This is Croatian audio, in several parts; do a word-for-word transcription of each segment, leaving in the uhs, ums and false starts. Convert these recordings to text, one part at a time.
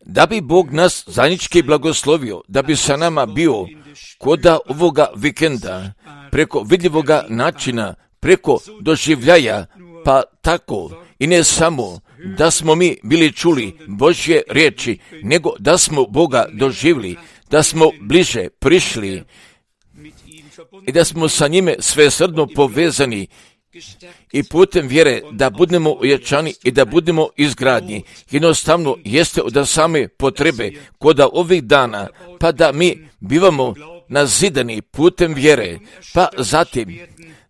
Da bi Bog nas zajednički blagoslovio, da bi sa nama bio koda ovoga vikenda, preko vidljivoga načina, preko doživljaja, pa tako i ne samo da smo mi bili čuli Božje riječi, nego da smo Boga doživjeli, da smo bliže prišli i da smo sa njime svesrdno povezani i putem vjere da budemo ojačani i da budemo izgradnji. Jednostavno jeste od same potrebe koda ovih dana, pa da mi bivamo nazidani putem vjere, pa zatim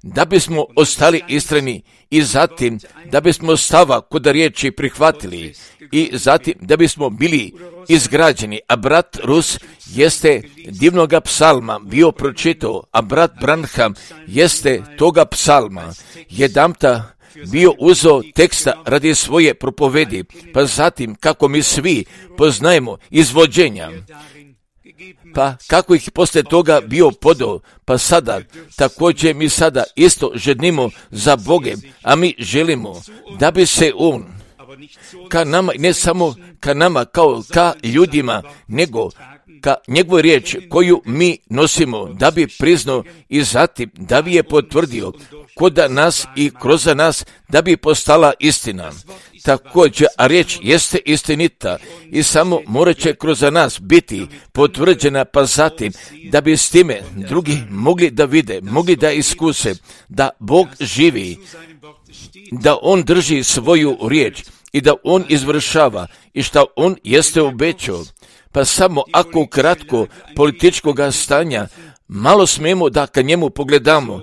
da bismo ostali istrajni i zatim da bismo stava kod riječi prihvatili i zatim da bismo bili izgrađeni. A brat Rus jeste divnoga psalma bio pročitao, a brat Branham jeste toga psalma jedamta bio uzeo teksta radi svoje propovedi, pa zatim kako mi svi poznajemo izvođenja, pa kako ih poslije toga bio podao, pa sada također mi sada isto žednimo za Bogem, a mi želimo da bi se On ka nama, ne samo ka nama kao ka ljudima, nego ka njegovoj riječ koju mi nosimo, da bi priznao i zatim da bi je potvrdio kod nas i kroz nas, da bi postala istina. Također, a riječ jeste istinita i samo morat će kroz nas biti potvrđena, pa zatim da bi s time drugi mogli da vide, mogli da iskuse da Bog živi, da On drži svoju riječ i da On izvršava i što On jeste obećao. Pa samo ako kratko političkog stanja malo smijemo da ka njemu pogledamo,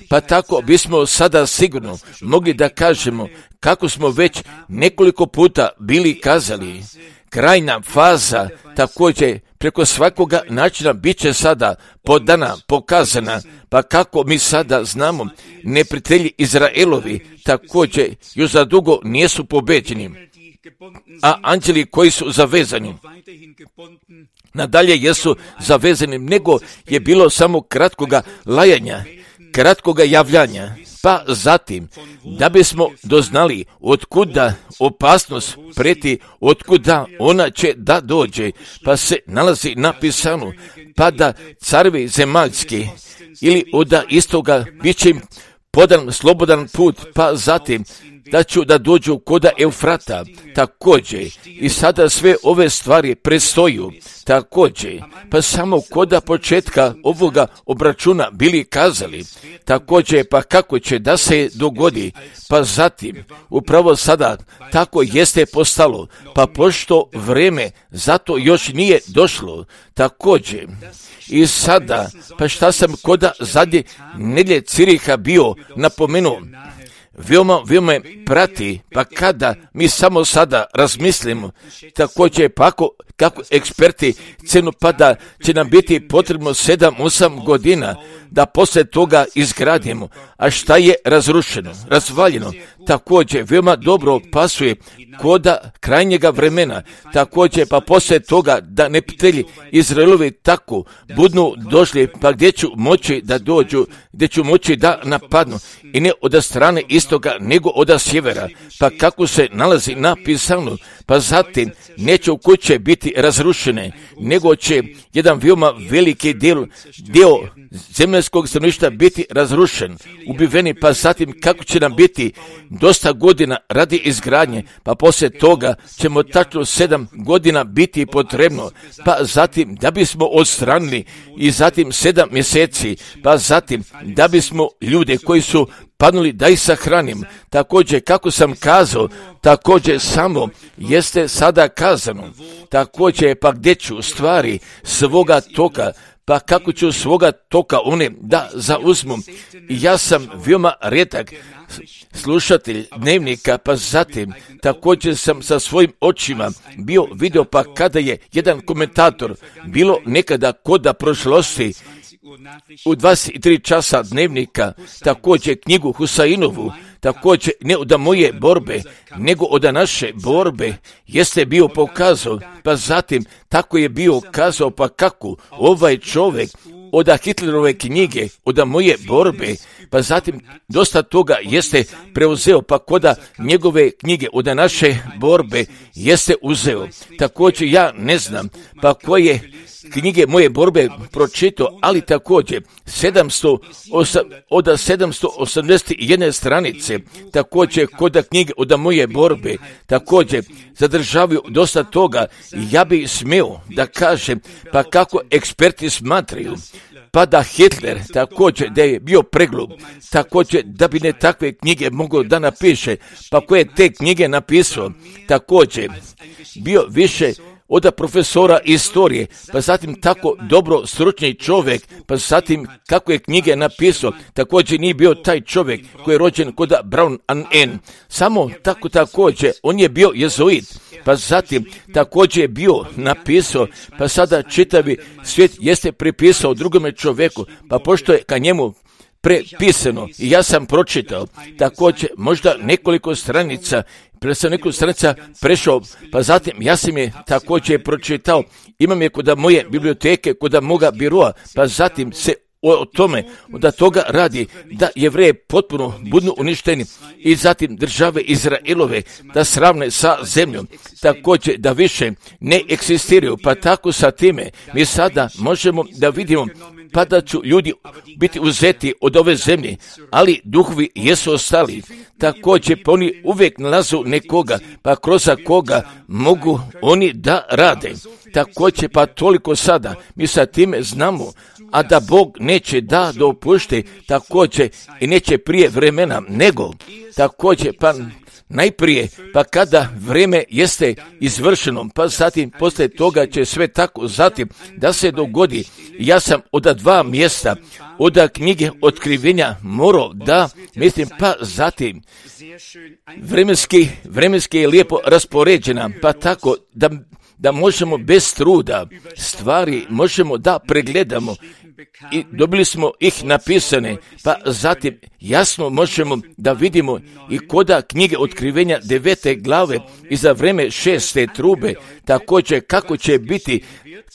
pa tako bismo sada sigurno mogli da kažemo kako smo već nekoliko puta bili kazali, krajna faza također preko svakoga načina bit će sada podana, pokazana, pa kako mi sada znamo, neprijatelji Izraelovi također još za dugo nisu pobeđeni, a anđeli koji su zavezani nadalje jesu zavezani, nego je bilo samo kratkoga lajanja, kratkoga javljanja, pa zatim da bismo doznali otkuda opasnost preti, otkuda ona će da dođe, pa se nalazi napisano, pa da carevi zemaljski ili od istoga bit će im podan slobodan put, pa zatim da ću da dođu koda Eufrata, također i sada sve ove stvari predstoju, također, pa samo koda početka ovoga obračuna bili kazali, također pa kako će da se dogodi, pa zatim upravo sada tako jeste postalo, pa pošto vreme zato još nije došlo, također i sada, pa šta sam koda zadnje nedjelje Ciriha bio napomenuo, veoma, veoma me prati, pa kada mi samo sada razmislimo, također pa ako, kako eksperti cenu pada će nam biti potrebno sedam osam godina da poslije toga izgradimo, a šta je razrušeno, razvaljeno, također veoma dobro pasuje koda krajnjega vremena, također pa poslije toga da neprijatelji Izraelovi tako budnu došli, pa gdje ću moći da dođu, gdje ću moći da napadnu, i ne od strane istoga, nego od sjevera, pa kako se nalazi napisano, pa zatim neće u kuće biti razrušene, nego će jedan veoma veliki dio, dio zemljskog stanovništva biti razrušen, ubiveni, pa zatim kako će nam biti dosta godina radi izgradnje, pa poslije toga ćemo tačno sedam godina biti potrebno, pa zatim da bismo odstranili i zatim sedam mjeseci, pa zatim da bismo ljude koji su padnuli da ih sahranim. Također kako sam kazao, također samo jeste sada kazano, također pa gdje ću stvari svoga toka, pa kako ću svoga toka one da zauzmu. Ja sam veoma rijetak slušatelj dnevnika, pa zatim također sam sa svojim očima bio vidio, pa kada je jedan komentator bilo nekada koda prošlosti u dvadeset tri časa dnevnika, također knjigu Husainovu, također ne od moje borbe, nego od naše borbe, jeste bio pokazao, pa zatim tako je bio kazao, pa kako ovaj čovjek od Hitlerove knjige, od moje borbe, pa zatim dosta toga jeste preuzeo, pa koda njegove knjige, od naše borbe jeste uzeo. Također ja ne znam, pa koje knjige moje borbe pročitao, ali također sedamsto, od sedamsto osamdeset jedne stranice, također kod knjige od moje borbe, također zadržavaju dosta toga. Ja bi smio da kažem, pa kako eksperti smatraju, pa da Hitler također da je bio preglub, također da bi ne takve knjige mogao da napiše, pa koje te knjige napisao, također bio više od profesora istorije, pa zatim tako dobro stručni čovjek, pa zatim kako je knjige napisao, također nije bio taj čovjek koji je rođen kod Brown and Ann, samo tako također, on je bio jezuit, pa zatim također je bio napisao, pa sada čitavi svijet jeste pripisao drugome čovjeku, pa pošto je ka njemu prepisano i ja sam pročitao, također možda nekoliko stranica, pre sam nekoliko stranica prešao, pa zatim ja sam je također pročitao, imam je kod moje biblioteke, kod moga biroa, pa zatim se o tome, da toga radi, da Jevreje potpuno budu uništeni i zatim države Izraelove da sravne sa zemljom, također da više ne eksistiraju, pa tako sa time mi sada možemo da vidimo pa da ću ljudi biti uzeti od ove zemlje, ali duhovi jesu ostali. Također pa oni uvijek nalazu nekoga, pa kroz koga mogu oni da rade. Također pa toliko sada mi sa time znamo, a da Bog neće da dopušte također i neće prije vremena, nego također pa najprije, pa kada vrijeme jeste izvršeno, pa zatim poslije toga će sve tako zatim da se dogodi. Ja sam od dva mjesta, od knjige Otkrivenja morao da, mislim, pa zatim vremenski, vremenski je lijepo raspoređena, pa tako da, da možemo bez truda stvari možemo da pregledamo i dobili smo ih napisane, pa zatim jasno možemo da vidimo i koda knjige Otkrivenja devete glave i za vreme šeste trube, također kako će biti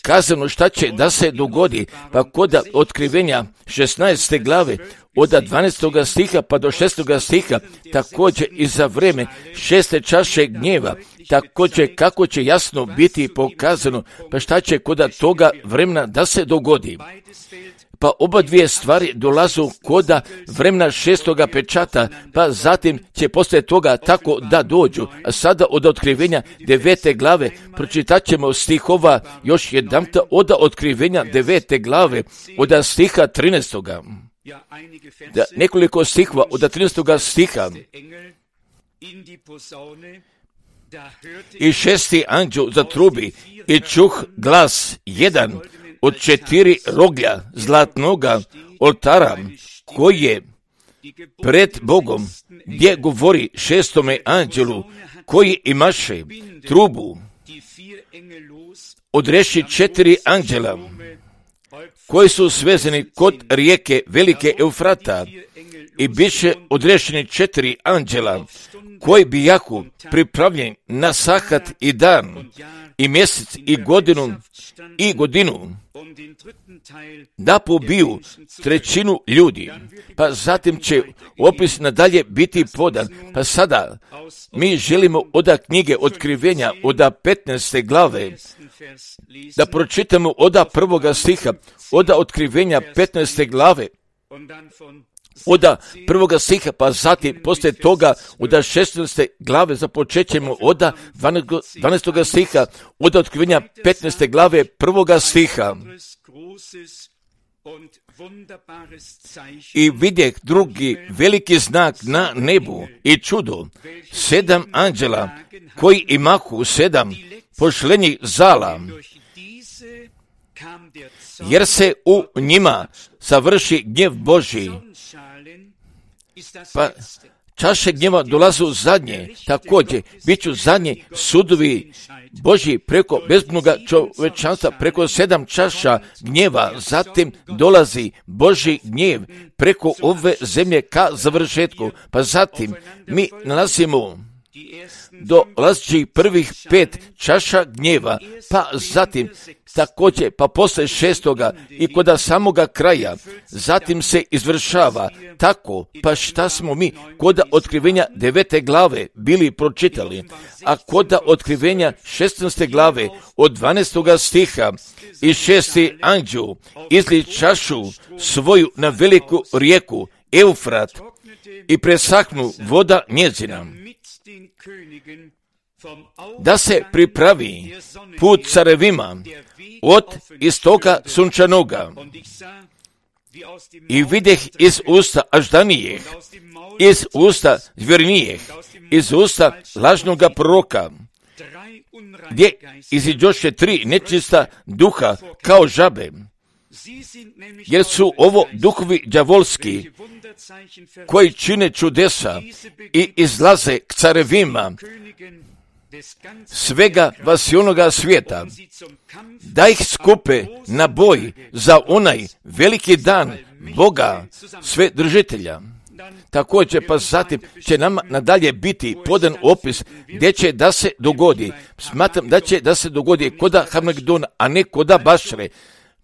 kazano šta će da se dogodi, pa koda Otkrivenja šesnaeste glave od dvanaestoga stiha pa do šestoga stiha, također i za vreme šeste čaše gnjeva, također kako će jasno biti pokazano, pa šta će koda toga vremena da se dogodi. Pa oba dvije stvari dolazu koda vremena šestoga pečata, pa zatim će poslije toga tako da dođu. A sada od Otkrivenja devete glave pročitat ćemo stihova još jedanputa od Otkrivenja devete glave od stiha trinaestoga. Da, nekoliko stihova od trinaestoga stiha. I šesti anđel zatrubi i čuh glas jedan od četiri roglja zlatnoga oltara koji je pred Bogom, gdje govori šestome anđelu koji imaše trubu, odreši četiri anđela koji su svezani kod rijeke velike Eufrata i biše odrešeni četiri anđela koji bi jako pripravljeni na sahat i dan i mjesec i godinu i godinu da pobiju trećinu ljudi. Pa zatim će opis nadalje biti podan. Pa sada mi želimo od knjige Otkrivenja od petnaeste glave da pročitamo od prvoga stiha, od Otkrivenja petnaeste glave, od prvoga stiha, pa zatim poslije toga od šesnaeste glave započećemo od dvanaestoga stiha, od Otkrivenja petnaeste glave prvoga stiha. I vidjeh drugi veliki znak na nebu i čudo, sedam anđela koji imahu sedam pošlenih zala, jer se u njima savrši gnjev Božji. Pa čaše gnjeva dolazu zadnje, također bit ću zadnji sudovi Božji preko bezbnoga čovečanstva, preko sedam čaša gnjeva, zatim dolazi Božji gnjev preko ove zemlje ka završetku, pa zatim mi nalazimo dolazi prvih pet čaša gnjeva, pa zatim također, pa posle šestoga i kod samoga kraja, zatim se izvršava tako, pa šta smo mi kod otkrivenja devete glave bili pročitali, a kod otkrivenja šesnaeste glave od dvanaestoga stiha i šesti anđeo izli čašu svoju na veliku rijeku Eufrat i presahnu voda njezina, da se pripravi put carevima od istoka sunčanoga. I videh iz usta aždanijeh, iz usta zvjernijeh, iz usta lažnoga proroka, gdje iziđoše tri nečista duha kao žabe, jer su ovo duhovi đavolski koji čine čudesa i izlaze k carevima svega vasionoga svijeta, da ih skupe na boj za onaj veliki dan Boga sve držitelja. Također, pa zatim će nama nadalje biti podan opis gdje će da se dogodi. Smatram da će da se dogodi koda Hamagdona, a ne koda Bašre.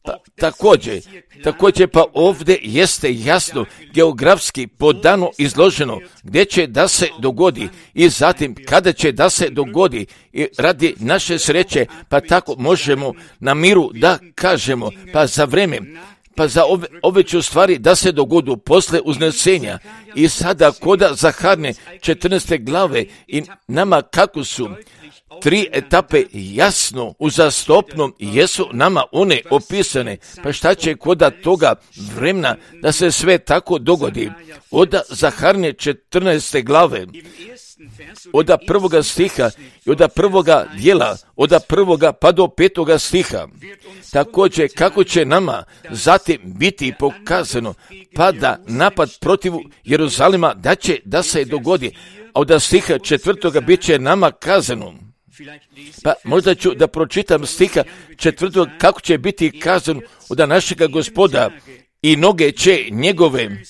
Pa, također, također pa ovdje jeste jasno geografski podano izloženo gdje će da se dogodi i zatim kada će da se dogodi i radi naše sreće, pa tako možemo na miru da kažemo, pa za vreme, pa za ove, ove će stvari da se dogodu posle uznesenja i sada koda Zaharne četrnaeste glave i nama kako su tri etape jasno uzastopno jesu nama one opisane, pa šta će koda toga vremena da se sve tako dogodi. Od Zaharne četrnaeste glave, od prvoga stiha i od prvoga dijela, od prvoga pa do petoga stiha. Također kako će nama zatim biti pokazano, pa da napad protiv Jeruzalema da će da se dogodi, a od stiha četvrtoga bit će nama kazano. Pa možda ću da pročitam stiha četvrtog kako će biti kazano od našega Gospoda i noge će njegove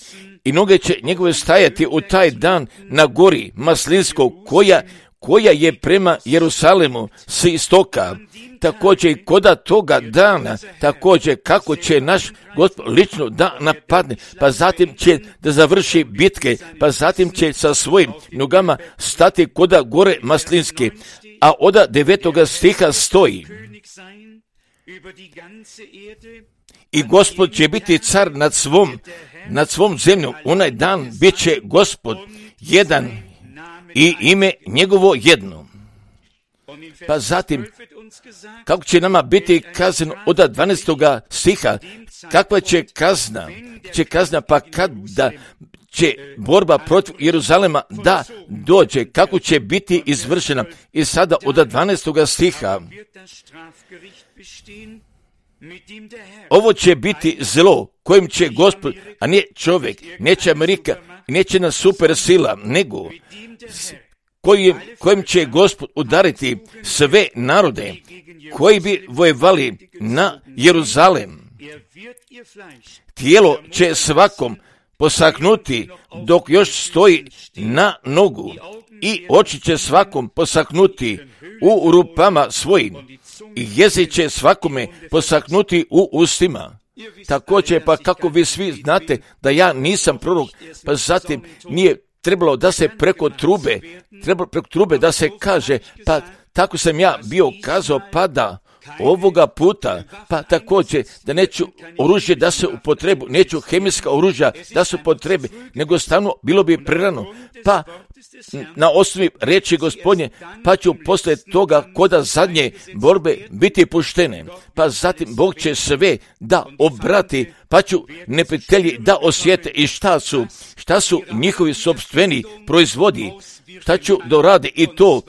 i noge će njegove stajati u taj dan na gori Maslinskog koja, koja je prema Jerusalemu s istoka. Također i koda toga dana, također kako će naš Gospod lično da napadne, pa zatim će da završi bitke, pa zatim će sa svojim nogama stati koda gore Maslinske. A od devetoga stiha stoji: i Gospod će biti car nad svom, nad svom zemljom. Onaj dan bit će Gospod jedan i ime njegovo jedno. Pa zatim, kako će nama biti kazano od dvanaestoga stiha, kakva će kazna, će kazna pa kada će borba protiv Jeruzalema da dođe, kako će biti izvršena. I sada od dvanaestoga stiha, ovo će biti zlo kojim će Gospod, a ne čovjek, neće Amerika, neće na super sila, nego kojim, kojim će Gospod udariti sve narode koji bi vojevali na Jeruzalem. Tijelo će svakom posaknuti dok još stoji na nogu i oči će svakom posaknuti u rupama svojim i jezik će svakome posaknuti u ustima. Također, pa kako vi svi znate da ja nisam prorok, pa zatim nije trebalo da se preko trube, trebalo preko trube da se kaže, pa tako sam ja bio kazao, pa da ovoga puta, pa također da neću oružje da se upotrebu, neću hemijska oružja da se upotrebe, nego stvarno bilo bi prerano, pa na osnovi riječi Gospodnje, pa ću poslije toga koda zadnje borbe biti puštene, pa zatim Bog će sve da obrati, pa ću neprijatelji da osjete i šta su, šta su njihovi sopstveni proizvodi, šta ću doradi i to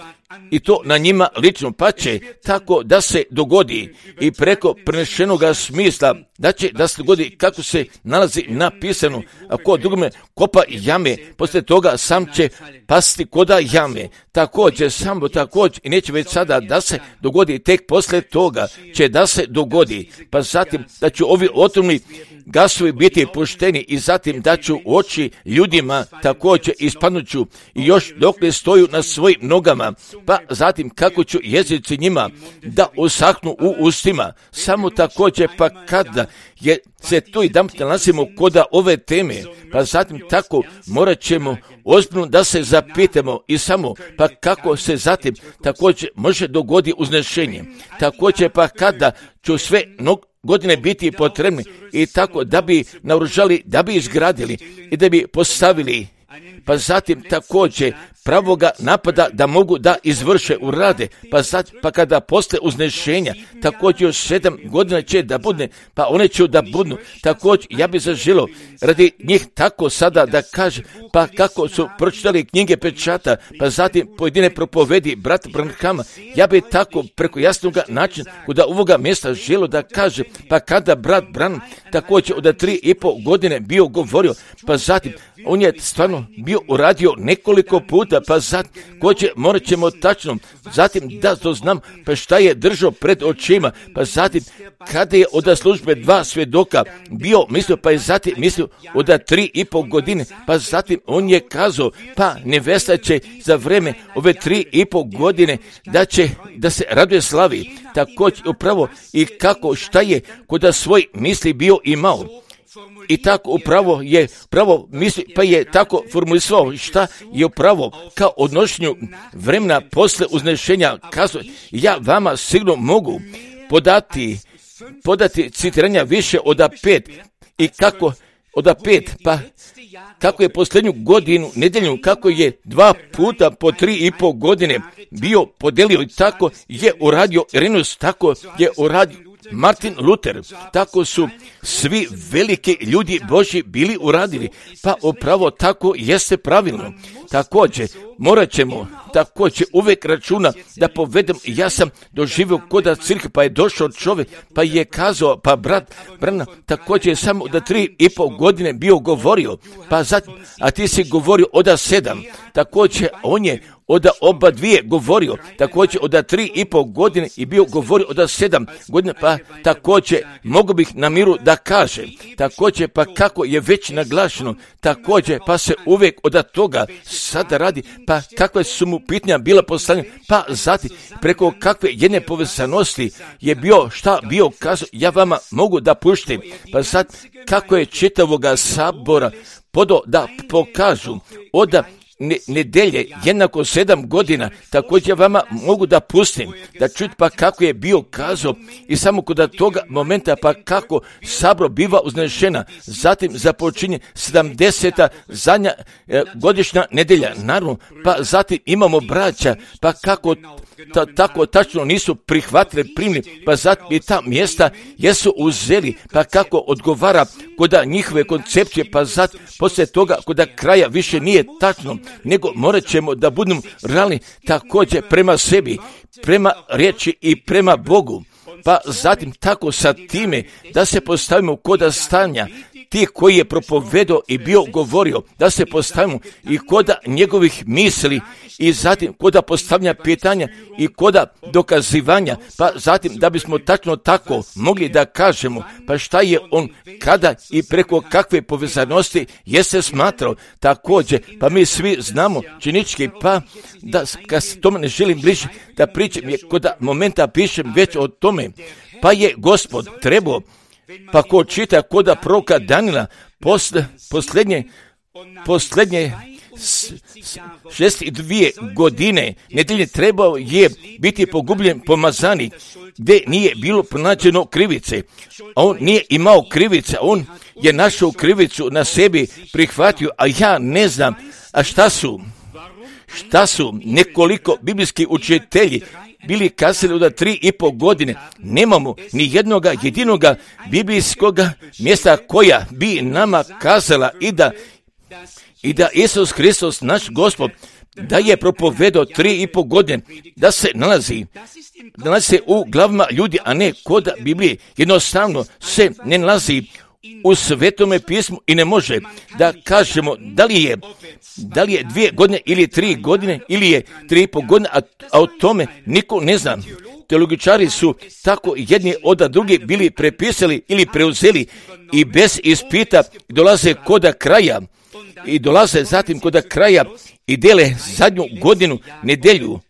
i to na njima lično, pa će tako da se dogodi i preko prenešenoga smisla, da će da se dogodi kako se nalazi napisano, a ko drugome kopa jame, poslije toga sam će pasti koda jame. Također, samo također, i neće već sada da se dogodi, tek poslije toga će da se dogodi, pa zatim da će ovi otrovni gasovi biti pušteni i zatim da ću u oči ljudima također ispanuću i još dok ne stoju na svojim nogama, pa zatim kako ću jezici njima da usahnu u ustima. Samo također pa kada je se to i da nalazimo koda ove teme, pa zatim tako morat ćemo ozbiljno da se zapitamo i samo pa kako se zatim također može dogodi uznešenje. Također pa kada ću sve nog godine biti potrebni i tako da bi naoružali, da bi izgradili i da bi postavili, pa zatim također pravoga napada da mogu da izvrše urade, pa, zat, pa kada posle uznešenja, također još sedam godina će da budne, pa one će da budnu, također ja bi zaželio radi njih tako sada da kaže, pa kako su pročitali knjige pečata, pa zatim pojedine propovedi brat Branhama, ja bi tako preko jasnog načina kod ovoga mjesta želio da kaže, pa kada brat Branham također od tri i pol godine bio govorio, pa zatim on je stvarno bio uradio nekoliko puta, pa zatim koće morat ćemo tačno, zatim da to znam, pa šta je držao pred očima, pa zatim kada je od službe dva svjedoka bio mislio, pa je zatim mislio od tri i pol godine, pa zatim on je kazao, pa nevesta će za vreme ove tri i pol godine da će da se raduje slavi, također upravo i kako šta je kod svoj misli bio imao. I tako upravo je pravo misli, pa je tako formulisao šta je upravo kao odnošenju vremena posle uznešenja kazao, ja vama sigurno mogu podati, podati citiranja više od pet i kako od pet, pa kako je posljednju godinu, nedelju, kako je dva puta po tri i pol godine bio podelio i tako je uradio Irenus, tako je uradio Martin Luther, tako su svi veliki ljudi Božji bili uradili, pa upravo tako jeste pravilno. Također, morat ćemo također uvijek računa da povedem, ja sam doživio koda crkve, pa je došao čovjek, pa je kazao, pa brat Brana, također je samo da tri i pol godine bio govorio, pa zatim, a ti si govorio oda sedam, također on je od oba dvije govorio, također od tri i pol godine i bio govorio od sedam godina, pa također mogu bih na miru da kaže, također pa kako je već naglašeno, također pa se uvijek od toga sada radi, pa kakve su mu pitanja bila postavljena, pa zatim preko kakve jedne povezanosti je bio, šta bio kazao, ja vama mogu da puštim, pa sad kako je čitavoga sabora podo da pokažu od Ne, nedelje, jednako sedam godina, također vama mogu da pustim, da čuti pa kako je bio kazao i samo kod toga momenta pa kako sabro biva uznešena, zatim započinje sedamdeseta zadnja e, godišnja nedelja, naravno, pa zatim imamo braća, pa kako ta, tako tačno nisu prihvatili, primili, pa zatim i ta mjesta jesu uzeli, pa kako odgovara kod njihove koncepcije, pa zatim poslije toga kod kraja više nije tačno, nego morat ćemo da budemo realni također prema sebi, prema riječi i prema Bogu. Pa zatim tako sa time da se postavimo koda stanja, ti koji je propovedao i bio govorio, da se postavimo i koda njegovih misli i zatim koda postavljanja pitanja i koda dokazivanja, pa zatim da bismo tačno tako mogli da kažemo, pa šta je on, kada i preko kakve povezanosti jeste smatrao također, pa mi svi znamo činički, pa da kad se tome ne želim bliže da pričam, je koda momenta pišem već o tome, pa je Gospod trebao, pa ko čita koda proroka Danila, posle, posljednje, posljednje šest i dvije godine nedelje trebao je biti pogubljen pomazanik, gdje nije bilo pronađeno krivice. On nije imao krivice, on je našao krivicu na sebi prihvatio, a ja ne znam, a šta su, šta su nekoliko biblijski učitelji bili kazali od tri i pol godine, nemamo ni jednoga jedinoga biblijskog mjesta koja bi nama kazala i da, i da Isus Hristos, naš Gospod, da je propovedao tri i po godine, da se nalazi, nalazi se u glavama ljudi, a ne kod Biblije. Jednostavno se ne nalazi u Svetome pismu i ne može da kažemo da li je, da li je dvije godine ili tri godine ili je tri i po godine, a, a o tome niko ne zna. Teologičari su tako jedni od drugi bili prepisali ili preuzeli i bez ispita dolaze kod kraja i dolaze zatim kod kraja i dele zadnju godinu nedelju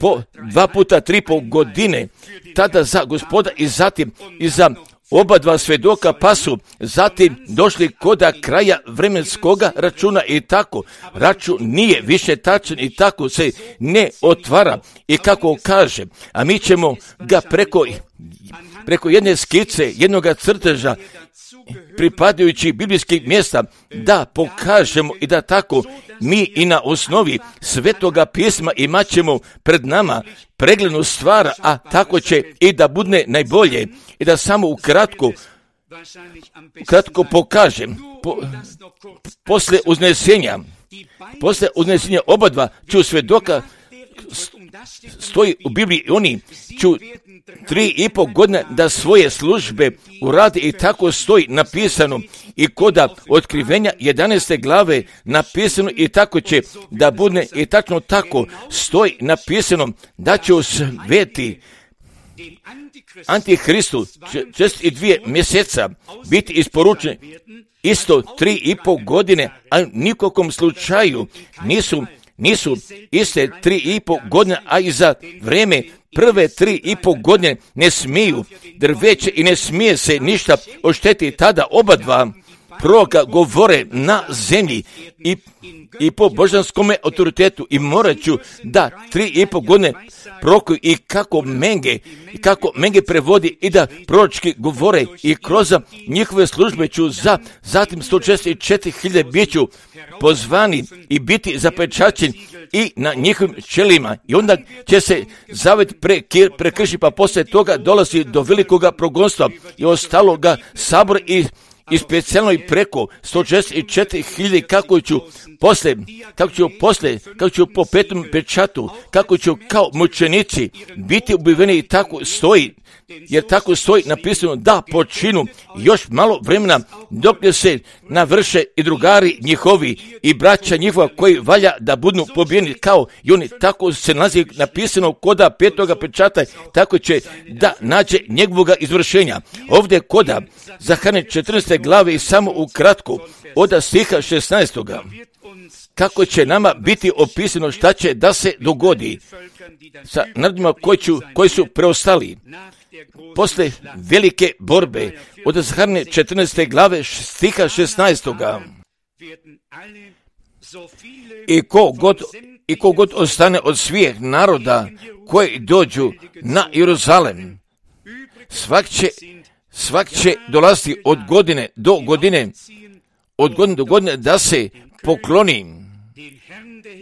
po dva puta tri po godine, tada za Gospoda i zatim i za oba dva svedoka pa su zatim došli kod kraja vremenskoga računa i tako. Račun nije više tačan i tako se ne otvara i kako kaže, a mi ćemo ga preko, preko jedne skice, jednog crteža pripadajući biblijskih mjesta da pokažemo i da tako mi i na osnovi Svetoga pisma imat ćemo pred nama preglednu stvar, a tako će i da bude najbolje i da samo ukratko kratko pokažem po, posle uznesenja posle uznesenja oba dva ću svedoka stoji u Bibliji, oni ću tri i po godine da svoje službe uradi i tako stoji napisano i koda otkrivenja jedanaeste glave napisano i tako će da bude i tačno tako stoji napisano da će u sveti Antihristu čest i dvije mjeseca biti isporučen isto tri i po godine, a nikokom slučaju nisu nisu iste tri i po godine, a i za vreme prve tri i po godine ne smiju drveće i ne smije se ništa oštetiti. Tada oba dva proroka govore na zemlji i, i po božanskome autoritetu i morat ću da tri i po godine prorokuju i kako Menge, i kako Menge prevodi i da proročki govore i kroz njihove službe ću za zatim sto šezdeset četiri hiljade biću pozvani i biti zapečaćeni i na njihovim čelima i onda će se zavet prekršiti, pa poslije toga dolazi do velikoga progonstva i ostaloga sabora i i specijalno i preko sto šezdeset četiri hiljade kako ću posle, kako ću posle, kako ću po petom pečatu, kako ću kao mučenici biti ubiveni i tako stoji, jer tako stoji napisano da počinu još malo vremena dok se navrše i drugari njihovi i braća njihova koji valja da budu pobijeni kao i oni, tako se nalazi napisano koda petoga pečata, tako će da nađe njegovoga izvršenja. Ovdje koda Zaharije četrnaeste glave i samo ukratko od stiha šesnaestoga kako će nama biti opisano šta će da se dogodi sa narodima koji, ću, koji su preostali posle velike borbe od Zaharije četrnaeste glave stiha šesnaestoga. I ko god, i ko god ostane od svih naroda koji dođu na Jeruzalem, svak će, svak će dolaziti od godine do godine, od godine do godine da se pokloni,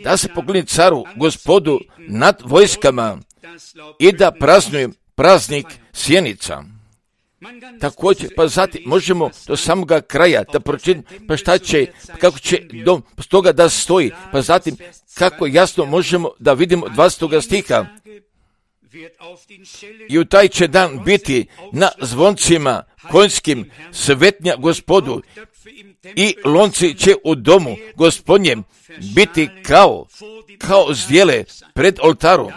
da se pokloni caru, Gospodu nad vojskama i da praznuje praznik sjenica. Također, pa zatim možemo do samoga kraja da pročitamo pa šta će, kako će do toga da stoji, pa zatim kako jasno možemo da vidimo dvadesetog stiha. I u taj će dan biti na zvoncima konjskim svetnja Gospodu i lonci će u domu Gospodnjem biti kao, kao zdjele pred oltarom.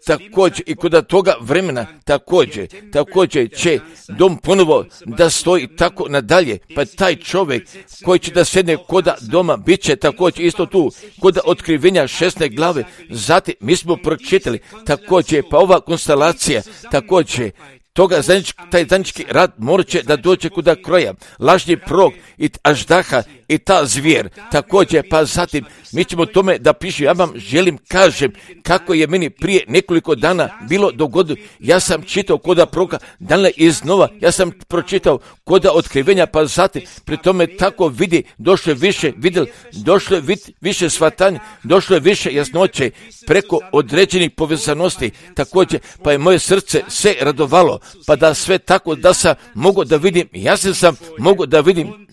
Također i kod toga vremena također, također će dom ponovo da stoji tako nadalje, pa taj čovjek koji će da sedne kod doma bit će također isto tu kod otkrivenja šesnaeste glave. Zatim mi smo pročitali također, pa ova konstelacija također toga zajednički, taj zajednički rad morat će da dođe kuda kroja. Lažni prorok i aždaha i ta zvijer također, pa zatim mi ćemo tome da pišu. Ja vam želim kažem kako je meni prije nekoliko dana bilo dogodilo. Ja sam čitao koda proroka Danila iznova, ja sam pročitao koda otkrivenja, pa zatim pri tome tako vidi, došlo je više vidjeli, došlo je vid, više shvatanja, došlo je više jasnoće preko određenih povezanosti također, pa je moje srce se radovalo, pa da sve tako da sam mogu da vidim, jasno sam mogu da vidim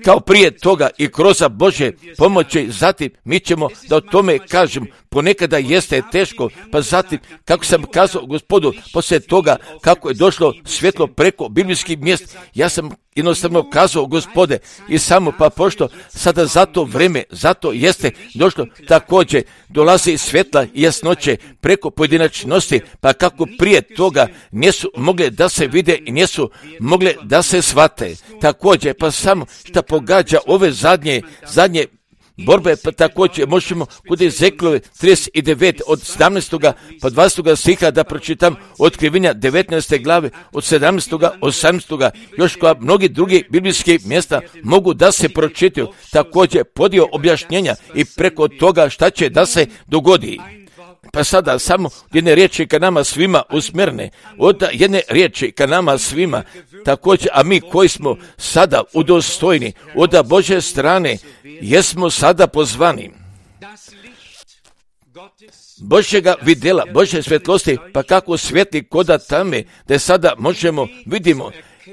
kao prije toga i kroz Božje pomoći, zatim mi ćemo da o tome kažem, ponekada jeste teško, pa zatim, kako sam kazao Gospodu, poslije toga kako je došlo svjetlo preko biblijskih mjesta, ja sam jednostavno kazao Gospode i samo pa pošto sada za to vreme, zato jeste došlo također, dolazi svjetla i jasnoće preko pojedinačnosti, pa kako prije toga nisu mogle da se vide i nisu mogle da se shvate. Također, pa samo što pogađa ove zadnje, zadnje borbe, pa također možemo kod Ezekielove trideset devet od sedamnaestog pa dvadesetog stiha da pročitam Otkrivenja devetnaeste glave od sedamnaestog osamnaestog još koja mnogi drugi biblijski mjesta mogu da se pročitaju, također podio objašnjenja i preko toga šta će da se dogodi. Pa sada samo jedne riječi ka nama svima usmjerne, od jedne riječi ka nama svima, također, a mi koji smo sada udostojni od Božje strane, jesmo sada pozvani Božjega vidjela, Božje svjetlosti, pa kako svijetli koda tame, da sada možemo, vidimo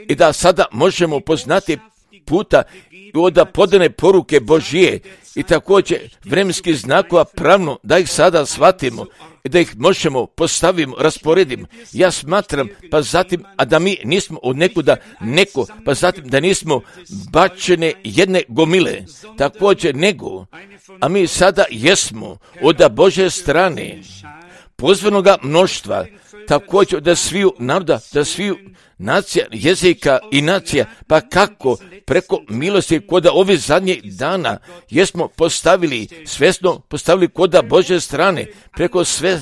i da sada možemo poznati puta i od podane poruke Božije i također vremenskih znakova pravno da ih sada shvatimo i da ih možemo postavimo, rasporedimo. Ja smatram, pa zatim, a da mi nismo od nekuda neko, pa zatim da nismo bačene jedne gomile, također nego, a mi sada jesmo od Božje strane pozvanoga mnoštva, također da sviju naroda, da sviju nacija, jezika i nacija, pa kako preko milosti koda ovih zadnjih dana jesmo postavili, svjesno postavili koda Božje strane, preko sve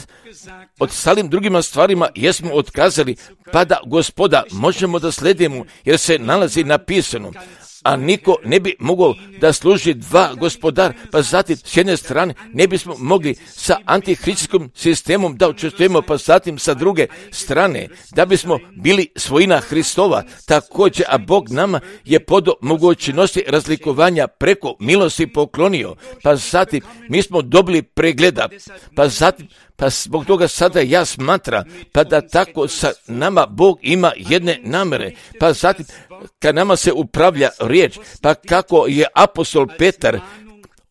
od stalim drugima stvarima jesmo otkazali, pa da Gospoda možemo da sledimo, jer se nalazi napisano, a niko ne bi mogao da služi dva gospodara, pa zatim s jedne strane ne bismo mogli sa antihristskim sistemom da učestvujemo, pa zatim sa druge strane da bismo bili svojina Hristova, također, a Bog nama je pod mogućnosti razlikovanja preko milosti poklonio, pa zatim mi smo dobili pregleda, pa zatim pa zbog toga sada ja smatram, pa da tako sa nama Bog ima jedne namere, pa zatim kad nama se upravlja riječ, pa kako je apostol Petar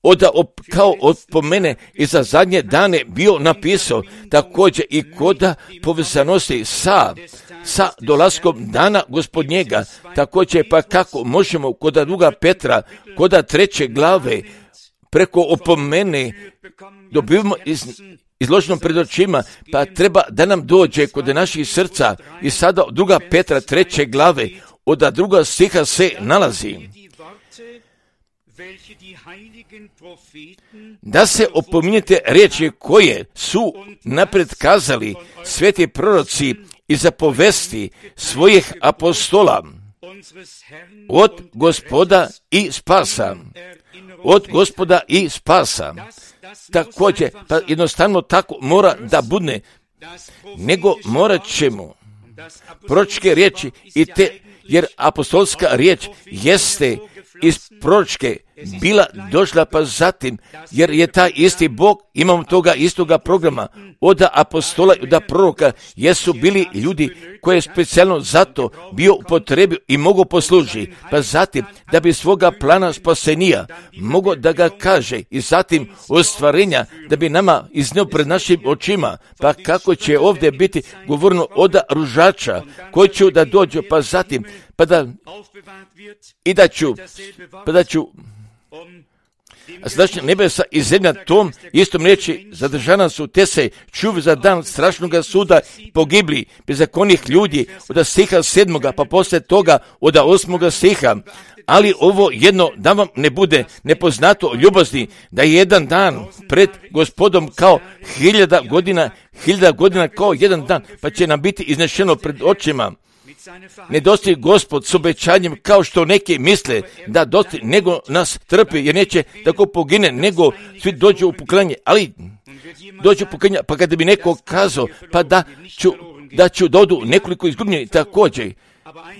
oda op, kao od po mene i za zadnje dane bio napisao, također i koda povezanosti sa sa dolaskom dana Gospodnjega, također pa kako možemo koda druga Petra, koda treće glave, preko opomene dobivamo iz izloženom pred očima, pa treba da nam dođe kod naših srca i sada druga Petra treće glave, od druga stiha se nalazi da se opominjete riječi koje su napred kazali sveti proroci i zapovesti svojih apostola od Gospoda i spasa. Od Gospoda i spasa. Također, pa jednostavno tako mora da bude, nego morat ćemo proročke riječi i te, jer apostolska riječ jeste iz proročke bila došla, pa zatim, jer je taj isti Bog, imamo toga istoga programa, od apostola i od proroka, jesu bili ljudi koje je specijalno zato bio upotrebio i mogo posluži, pa zatim, da bi svoga plana spasenija mogo da ga kaže i zatim ostvarenja, da bi nama iznio pred našim očima, pa kako će ovdje biti govorno od ružača, koji će da dođu, pa zatim, pa da, i da ću, pa da ću, a sadašnja nebesa i zemlja tom istom reći zadržana su te se čuv za dan strašnog suda pogibli bezakonnih ljudi od stiha sedmoga pa poslije toga od osmoga stiha. Ali ovo jedno da vam ne bude nepoznato ljubazni, da je jedan dan pred Gospodom kao hiljada godina, hiljada godina kao jedan dan, pa će nam biti iznešeno pred očima. Ne dosti Gospod s obećanjem kao što neki misle da dosti, nego nas trpi, jer neće tako pogine, nego svi dođu u poklanje, ali dođu u poklanje, pa kada bi neko kazao, pa da ću, da ću dodu nekoliko izgubljenih također,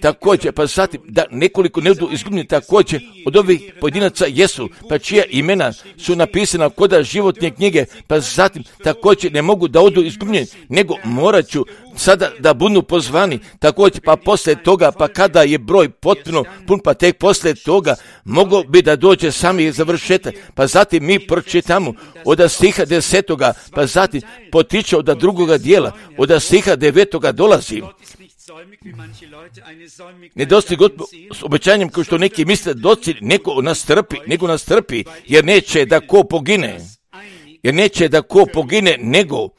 također, pa zatim da nekoliko ne budu izgubljeni također od ovih pojedinaca jesu, pa čija imena su napisana koda životne knjige, pa zatim također ne mogu da odu izgubljeni, nego morat ću sada da budu pozvani, također pa poslije toga, pa kada je broj potpuno pun, pa tek poslije toga mogo bi da dođe sami završetak, pa zatim mi pročitamo od stiha desetoga, pa zatim potiče od drugoga dijela, od stiha devetoga dolazi. Ne dosti Gospod s obećanjem kao što neki misle doći neko nas trpi, nego nas trpi, jer neće da ko pogine, jer neće da ko pogine, nego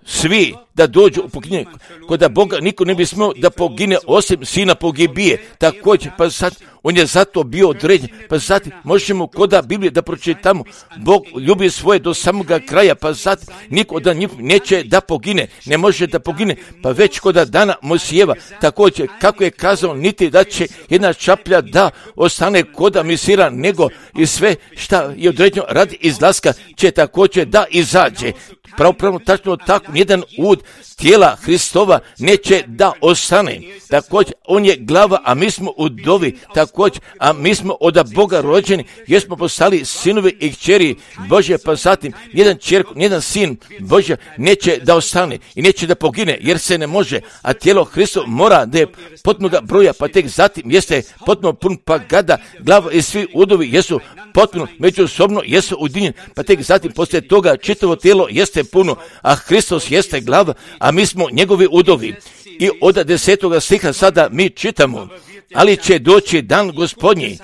svi da dođu u poginje. Kod Boga niko ne bi smio da pogine osim sina pogibije. Također, pa sad on je zato bio određen. Pa zatim možemo koda Biblije da pročitamo. Bog ljubi svoje do samoga kraja, pa zatim niko da njih neće da pogine, ne može da pogine. Pa već koda dana Mojsijeva, također kako je kazao, niti da će jedna čaplja da ostane koda misira, nego i sve šta je određeno radi izlaska će također da izađe. Pravo, pravo, tačno tako, nijedan ud tijela Hristova neće da ostane. Također, on je glava, a mi smo udovi, također, a mi smo od Boga rođeni, jer smo postali sinovi i kćeri Božje, pa zatim, nijedan čerko, nijedan sin Božja neće da ostane i neće da pogine, jer se ne može, a tijelo Hristova mora da je potpunoga broja, pa tek zatim jeste potpuno pun, pa gada glava i svi udovi jesu potpuno međusobno, jesu ujedinjeni, pa tek zatim poslije toga čitavo tijelo jeste puno, a Hristos jeste glava, a mi smo njegovi udovi. I od desetoga stiha sada mi čitamo, ali će doći dan Gospodnji,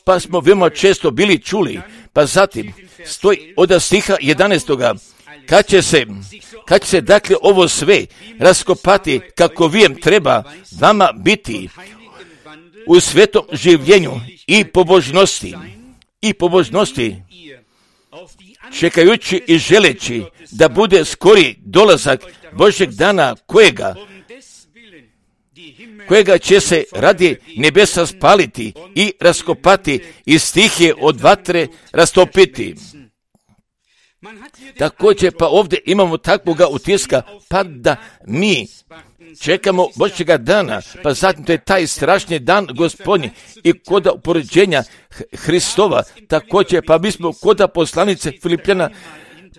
pa smo veoma često bili čuli, pa zatim stoji od stiha jedanaestoga, kad će se, kad će se dakle ovo sve raskopati kako vijem treba vama biti u svetom življenju i pobožnosti, i pobožnosti, čekajući i želeći da bude skori dolazak Božjeg dana kojega, kojega će se radi nebesa spaliti i raskopati i stihije od vatre rastopiti. Također pa ovdje imamo takvoga utiska, pa da mi čekamo Božjega dana, pa zatim to je taj strašni dan Gospodnji i koda upoređenja Hristova, također pa mi smo koda poslanice Filipljana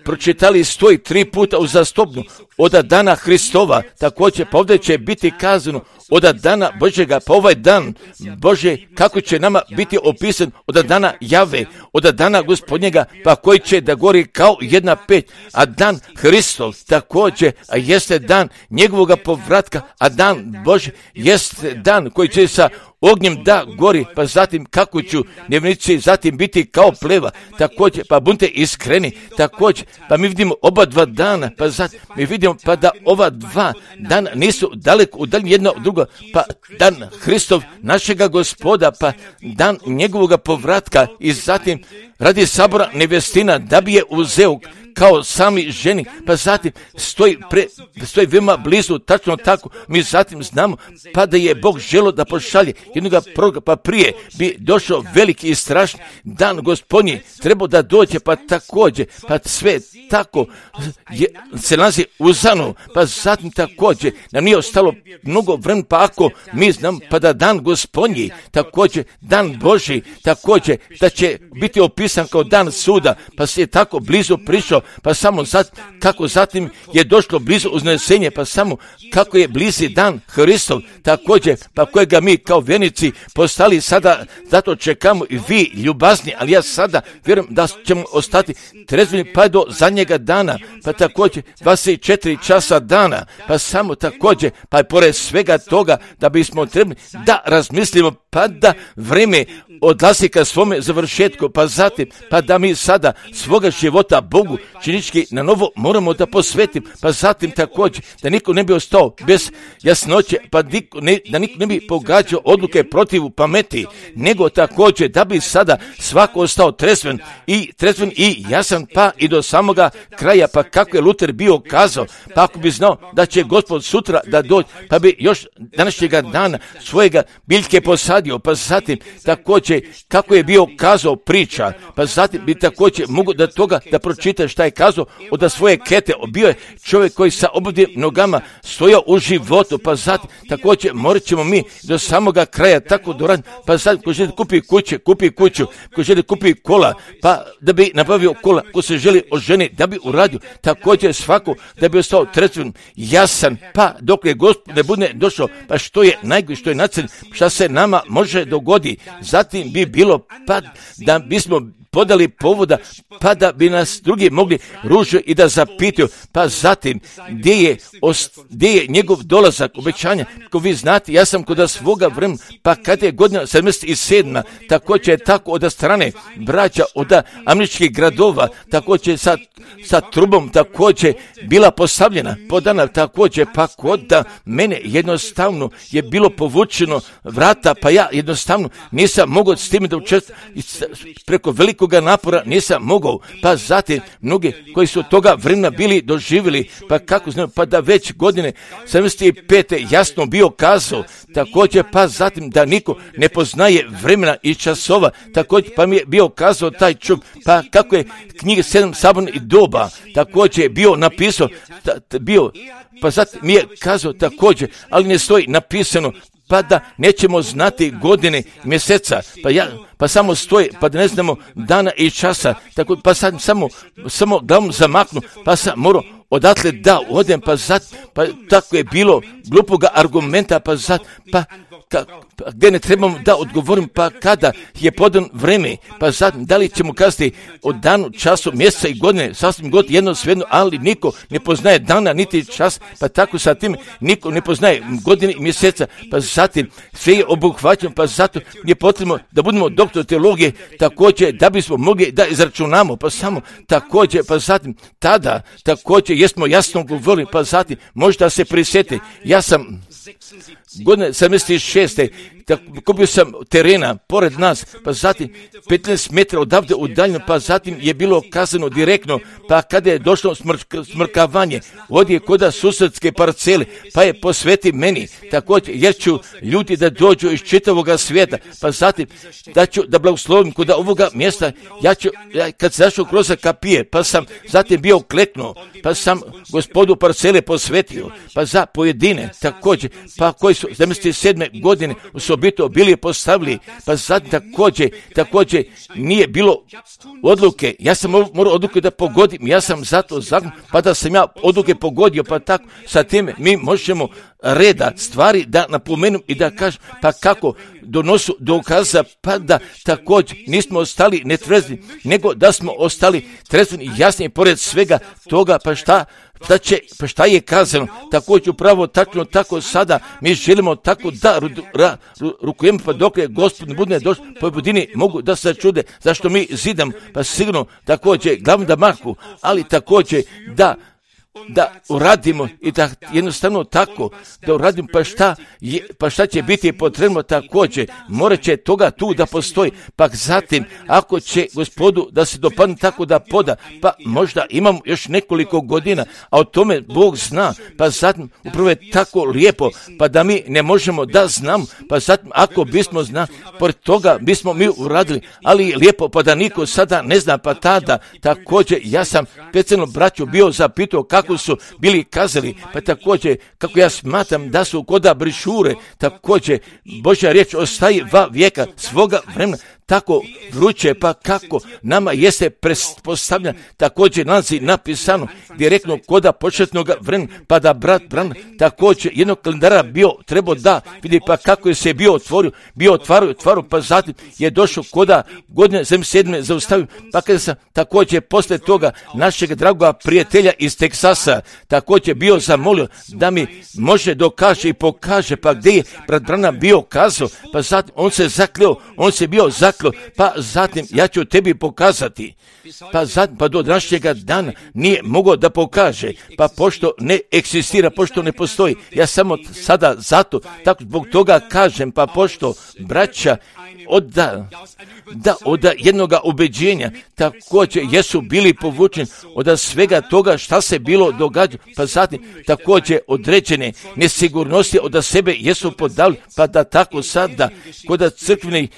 pročitali stoji tri puta uzastopno od dana Hristova, također pa ovdje će biti kazano od dana Božjega, pa ovaj dan Bože kako će nama biti opisan od dana Jave, od dana Gospodnjega, pa koji će da gori kao jedna peć, a dan Hristov također, a jeste dan njegovoga povratka, a dan Bože jeste dan koji će sa ognjem da gori, pa zatim kako ću nevnici zatim biti kao pleva, također pa budite iskreni, također pa mi vidimo oba dva dana, pa zatim mi vidimo pa da ova dva dana nisu daleko udaljeni jedno od drugo, pa dan Hristov našega Gospoda, pa dan njegovoga povratka i zatim radi sabora nevjestina da bi je uzeo kao sami ženi, pa zatim stoji, pre, stoji veoma blizu, tačno tako, mi zatim znamo, pa da je Bog želio da pošalje jednoga proroka, pa prije bi došao veliki i strašni dan Gospodnji, trebao da dođe, pa također, pa sve tako je, se nalazi u zanu, pa zatim također, nam nije ostalo mnogo vremena, pa ako mi znam, pa da dan Gospodnji, također, dan Božji, također, da će biti opisan kao dan suda, pa se je tako blizu prišao, pa samo zat, kako zatim je došlo blizu uznesenje, pa samo kako je blizi dan Hristov, također, pa kojega mi kao vjernici postali sada, zato čekamo i vi ljubazni, ali ja sada vjerujem da ćemo ostati trezveni pa do zadnjega dana, pa također dvadeset četiri časa dana, pa samo također, pa i pored svega toga da bismo trebali da razmislimo, pa da vrijeme odlazi ka svome završetku, pa zatim, pa da mi sada svoga života Bogu činički na novo moramo da posvetim, pa zatim također da niko ne bi ostao bez jasnoće, pa niko ne, da niko ne bi pogađao odluke protiv pameti, nego također da bi sada svako ostao trezven i trezven i jasan, pa i do samoga kraja, pa kako je Luter bio kazao, pa ako bi znao da će Gospod sutra da dođe, pa bi još današnjega dana svojega biljke posadio, pa zatim također kako je bio kazao priča pa zatim bi također mogu da toga da pročita šta je kazao od svoje kete. Bio je čovjek koji sa obudnim nogama stojao u životu, pa zatim također morat ćemo mi do samoga kraja tako doraditi, pa zatim ko želi kupi kuće, kupi kuću, ko želi kupi kola, pa da bi nabavio kola, ko se želi oženiti, da bi uradio također svako, da bi ostao tretven, jasan, pa dok je Gospod ne bude došao, pa što je najgore, što je nacrn, šta se nama može dogoditi, zatim bi bilo pa da bismo podali povoda, pa da bi nas drugi mogli ružiti i da zapitaju, pa zatim gdje je, ost, gdje je njegov dolazak, obećanja, ko vi znate, ja sam kod svoga vremena, pa kad je godina sedamdeset sedma, također je tako od strane braća od američkih gradova, također sa, sa trubom također bila postavljena, podana također, pa kod da mene jednostavno je bilo povučeno vrata, pa ja jednostavno nisam mogao s tim da učestvujem preko velikog napora nisam mogao, pa zatim mnogi koji su toga vremena bili doživjeli, pa kako znam, pa da već godine sedamdeset pete jasno bio kazao, također pa zatim da niko ne poznaje vremena i časova, također pa mi je bio kazao taj čuk, pa kako je knjiga sedam sabornih doba, također je bio napisao, ta, ta, bio, pa zatim mi je kazao također, ali ne stoji napisano, pa da nećemo znati godine, mjeseca, pa ja, pa samo stoji, pa da ne znamo dana i časa, tako, pa sad samo, samo glavom zamaknu, pa sam morao odatle da odem, pa zat, pa tako je bilo glupoga argumenta, pa zat, pa, ka, pa gdje ne trebamo da odgovorim, pa kada je podan vreme, pa zatim da li ćemo kazati o danu, času, mjeseca i godine, sasvim god jedno svejedno, ali niko ne poznaje dana niti čas, pa tako sa tim niko ne poznaje godine i mjeseca, pa zatim sve je obuhvaćeno, pa zato je potrebno da budemo doktor teologije, također da bismo mogli da izračunamo, pa samo također, pa zatim tada također jesmo jasno govorili, pa zatim možda se prisjeti, ja sam godine sedamdeset šeste kupio sam terena pored nas, pa zatim petnaest metara odavde udaljeno, pa zatim je bilo kazano direktno, pa kada je došlo smrk, smrkavanje, ovdje koda susedske parcele, pa je posveti meni, također, jer ću ljudi da dođu iz čitavoga svijeta, pa zatim da ću da blagoslovim kod ovoga mjesta, ja ću, ja, kad sam zašao kroz kapije, pa sam zatim bio kleknuo, pa sam gospodu parcele posvetio, pa za pojedine, također, pa koji su sedamdeset sedme godine u obito bili postavili, pa sad također, također nije bilo odluke, ja sam morao odluke da pogodim, ja sam zato zakon, pa da sam ja odluke pogodio, pa tako sa time mi možemo reda stvari da napomenem i da kažem, pa kako donosu dokaza, pa da također nismo ostali netrezni, nego da smo ostali trezni i jasni pored svega toga, pa šta Šta, će, pa šta je kazano, također upravo tačno tako sada mi želimo tako da ru, ra, ru, rukujemo, pa dok je Gospod ne bude došao, po budini mogu da se čude zašto mi zidam, pa sigurno također glavno da mahu, ali također da da uradimo i da jednostavno tako da uradimo, pa šta, je, pa šta će biti potrebno također, morat će toga tu da postoji, pa zatim ako će Gospodu da se dopadne tako da poda, pa možda imamo još nekoliko godina, a o tome Bog zna, pa zatim upravo je tako lijepo, pa da mi ne možemo da znamo, pa zatim ako bismo znali, pored toga bismo mi uradili, ali lijepo, pa da niko sada ne zna, pa tada također ja sam specijalno braću bio zapitao kako su bili kazali, pa također kako ja smatram da su koda brišure, također Božja riječ ostaje va vijeka svoga vremena, tako vruće, pa kako nama jeste postavljeno, također nalazi napisano direktno koda početnog vremena, pa da brat Bran također jednog kalendara bio trebao da vidi, pa kako je se bio otvorio, bio otvario, otvario, pa zatim je došao koda godine sedamdeset sedme zaustavio, pa kada sam također posle toga našeg dragoga prijatelja iz Teksasa također bio zamolio da mi može dokaže i pokaže, pa gdje je brat Branham bio kazao, pa zatim on se zakleo, on se bio zakleo, pa zatim ja ću tebi pokazati, pa zatim pa do današnjega dana nije mogao da pokaže, pa pošto ne eksistira, pošto ne postoji, ja samo sada zato, tako zbog toga kažem, pa pošto braća od da, da od jednoga ubeđenja također jesu bili povučeni od svega toga šta se bilo događa, pa zatim također određene nesigurnosti od sebe jesu podali, pa da tako sada kod crkvenih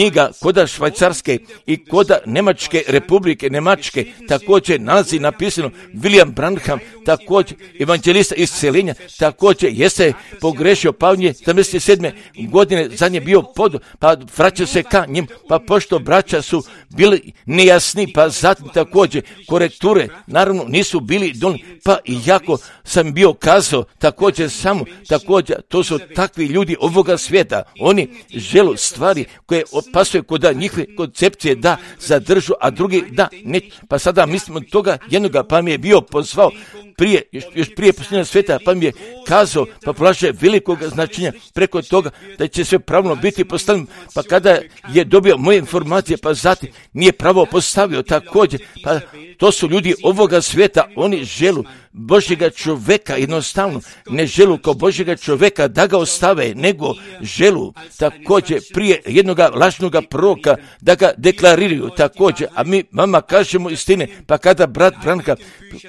knjiga koda Švajcarske i koda Njemačke republike, Njemačke, također nalazi napisano William Branham, također evanđelista isceljenja, također jeste pogrešio, pa on je sedamdeset sedme godine zadnje bio pod, pa vraćao se ka njim, pa pošto braća su bili nejasni, pa zatim također korekture, naravno nisu bili dolni, pa i jako sam bio kazao, također samo, također, to su takvi ljudi ovoga svijeta, oni žele stvari koje opasuje kod njihove koncepcije da zadržu, a drugi da ne, pa sada mislim od toga jednoga, pa mi je bio pozvao prije, još, još prije posljednjega svijeta, pa mi je kazao, pa polaže velikog značenja preko toga da će sve pravilno biti postavljeno, pa kada je dobio moje informacije, pa zatim nije pravo postavio također, pa to su ljudi ovoga svijeta, oni želu Božjega čovjeka, jednostavno ne želu kao Božjega čovjeka da ga ostave, nego želu također prije jednoga lažnoga proroka da ga deklariraju također, a mi vama kažemo istine, pa kada brat Branka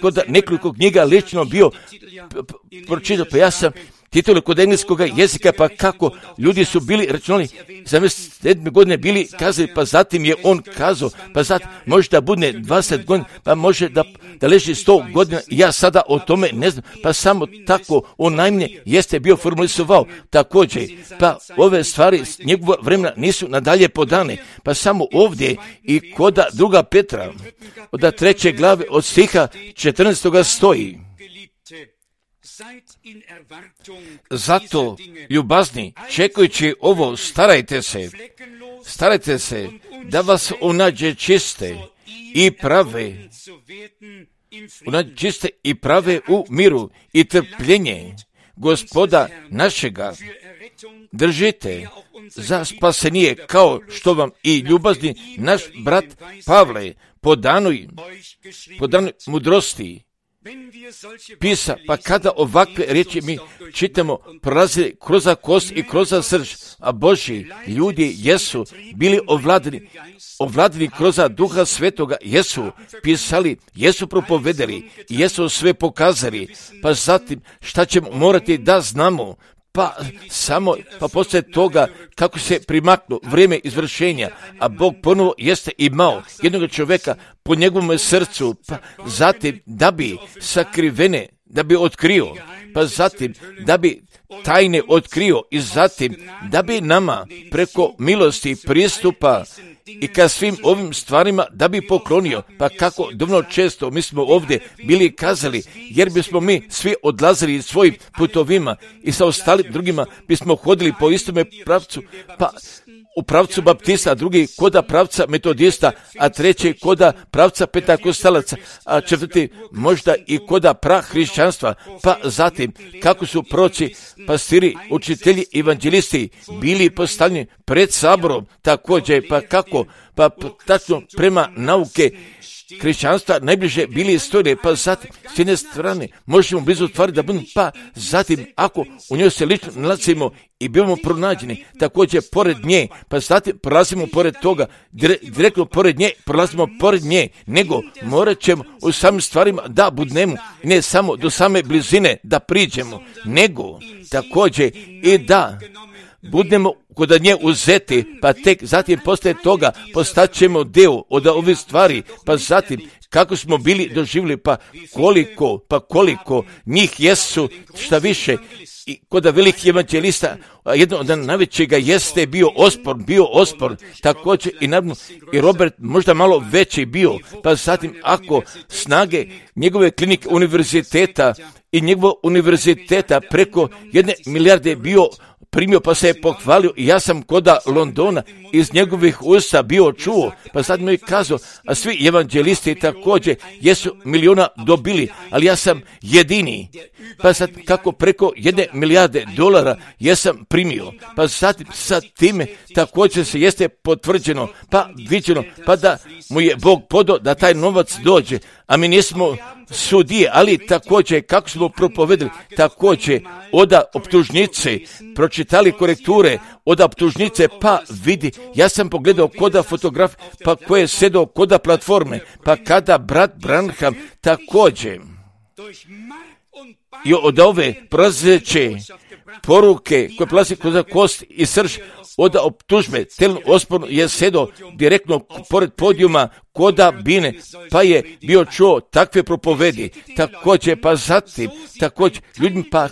kod nekoliko knjiga lično bio pročitao, pa ja sam titule kod engleskog jezika, pa kako ljudi su bili računali, sedamdeset sedme godine bili kazali, pa zatim je on kazao, pa zatim može da bude dvadeset godina, pa može da, da leži sto godina, ja sada o tome ne znam, pa samo tako on najmanje jeste bio formulisovao također, pa ove stvari s njegovog vremena nisu nadalje podane, pa samo ovdje i koda druga Petra, od treće glave od stiha četrnaestog stoji. Zato, ljubazni, čekajući ovo, starajte se, starajte se da vas onađe čiste i prave, onađe čiste i prave u miru i trpljenje Gospoda našega držite za spasenije, kao što vam i ljubazni naš brat Pavle po danoj, po danoj mudrosti pisa, pa kada ovakve riječi mi čitamo, prolazi kroz kost i kroz srž, a Božji ljudi jesu bili ovladani, ovladani kroz Duha Svetoga, jesu pisali, jesu propovedali, jesu sve pokazali, pa zatim šta ćemo morati da znamo, pa samo, pa poslije toga kako se primaknu vrijeme izvršenja, a Bog ponovo jeste imao jednog čovjeka po njegovom srcu, pa zatim da bi sakrivene, da bi otkrio, pa zatim da bi tajne otkrio i zatim da bi nama preko milosti pristupa i ka svim ovim stvarima da bi poklonio, pa kako dovoljno često mi smo ovdje bili kazali, jer bismo mi svi odlazili svojim putovima i sa ostalim drugima bismo hodili po istome pravcu, pa u pravcu baptista, drugi koda pravca metodista, a treći koda pravca pentakostalaca, a četvrti možda i koda prahrišćanstva, pa zatim kako su proći pastiri, učitelji, evanđelisti bili postavljeni pred saborom, također, pa kako, pa tačno prema nauke hrišćanstva najbliže bili stojili, pa zatim s jedne strane možemo blizu stvari da budemo, pa zatim ako u njoj se lično nalazimo i bivamo pronađeni, također pored nje, pa zatim prolazimo pored toga, direktno pored nje, prolazimo pored nje, nego morat ćemo u samim stvarima da budnemo, ne samo do same blizine da priđemo, nego također i da budemo kod nje uzeti, pa tek zatim poslije toga postaćemo deo od ovih stvari, pa zatim kako smo bili doživjeli, pa koliko, pa koliko njih jesu, šta više, i kod velikih evanđelista, jedno od najvećega jeste bio Ospor, bio Ospor, također i naravno i Robert možda malo veći bio, pa zatim ako snage njegove klinike univerziteta i njegovog univerziteta preko jedne milijarde bio primio, pa se je pohvalio i ja sam koda Londona iz njegovih usta bio čuo, pa sad mi je kazao, a svi evanđelisti također jesu miliona dobili, ali ja sam jedini, pa sad kako preko jedne milijarde dolara jesam primio, pa zatim sa time također se jeste potvrđeno, pa viđeno, pa da mu je Bog podao da taj novac dođe, a mi nismo sudije, ali također kako smo propovedali, također oda optužnice, pročitali korekture od optužnice, pa vidi, ja sam pogledao koda fotograf, pa koje je sedao koda platforme, pa kada brat Branham također i od ove prolazeće poruke koje prolazi kroz kost i srž, od optužbe, telno osporno je sedo direktno pored podijuma koda bine, pa je bio čuo takve propovedi. Također, pa zatim, također, ljudima pa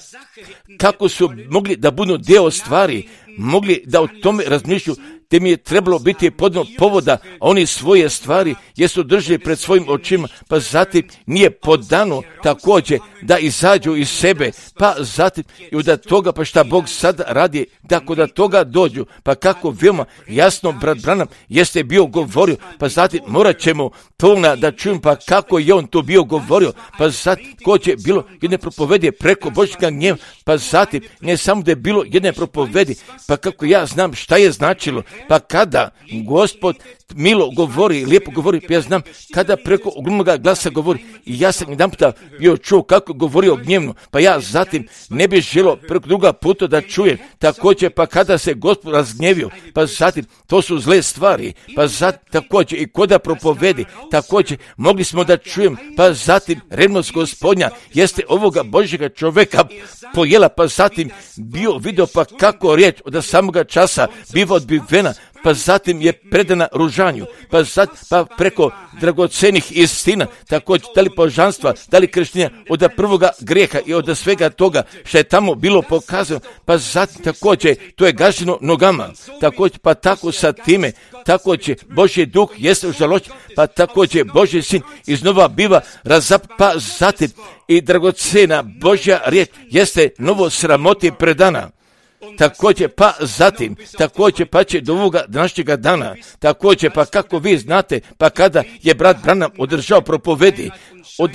kako su mogli da budu deo stvari, mogli da o tome razmišlju, te mi je trebalo biti podno povoda, a oni svoje stvari jesu držali pred svojim očima, pa zatim nije podano također da izađu iz sebe, pa zatim i od toga, pa šta Bog sada radi, da kod toga dođu, pa kako veoma jasno brat Branham jeste bio govorio, pa zatim morat ćemo to da čujem, pa kako je on to bio govorio, pa zatim ko će bilo jedne propovedi preko Božjega gnjeva, pa zatim ne samo da je bilo jedne propovedi, pa kako ja znam šta je značilo, pa kada Gospod milo govori, lijepo govori, pa ja znam kada preko ogromnoga glasa govori, i ja sam jedan puta bio čuo kako govorio gnjevno, pa ja zatim ne bih želio preko druga puta da čujem, također pa kada se Gospod razgnjevio, pa zatim to su zle stvari, pa zatim također i koda propovedi, također mogli smo da čujem, pa zatim revnost Gospodnja jeste ovoga Božjega čovjeka pojela, pa zatim bio video pa kako riječ od samoga časa biva odbivena, pa zatim je predana ružanju, pa, zat, pa preko dragocenih istina, također da li božanstva, da li krštenja, od prvoga grijeha i od svega toga što je tamo bilo pokazano, pa zatim također to je gaženo nogama, također pa tako sa time, također Božji duh jeste u žalošću, pa također Božji sin iznova biva razap, pa zatim i dragocena Božja riječ jeste novo sramoti predana. Također pa zatim, također pa će do ovoga današnjega dana, također pa kako vi znate, pa kada je brat Branham održao propovedi od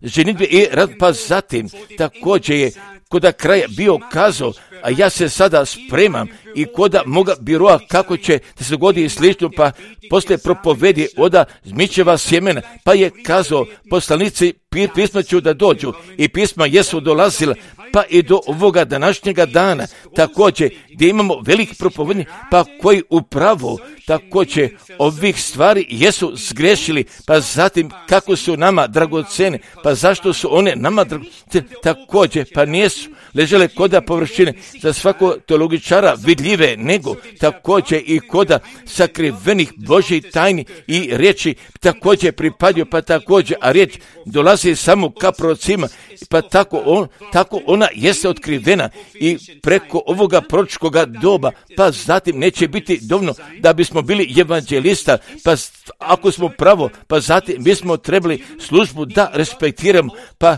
ženidbe i rad, pa zatim također je koda kraja bio kazao, a ja se sada spremam i koda moga biroa kako će se dogodi i slično, pa poslije propovedi oda zmičeva sjemena, pa je kazao poslanici pisma ću da dođu i pisma jesu dolazila, pa i do ovoga današnjega dana, također gdje imamo veliki propovedni, pa koji upravo također ovih stvari jesu zgrešili, pa zatim kako su nama dragocene, pa zašto su one nama dragocene, također pa nijesu ležele koda površine za svakog teologičara vidljive, nego također i koda sakrivenih Božjih tajni i riječi također pripadio, pa također, a riječ dolazi samo ka prorocima, pa tako, on, tako ona jeste otkrivena i preko ovoga proročkoga doba, pa zatim neće biti dovoljno da bismo bili evanđelista, pa ako smo pravo, pa zatim bismo trebali službu da respektiramo, pa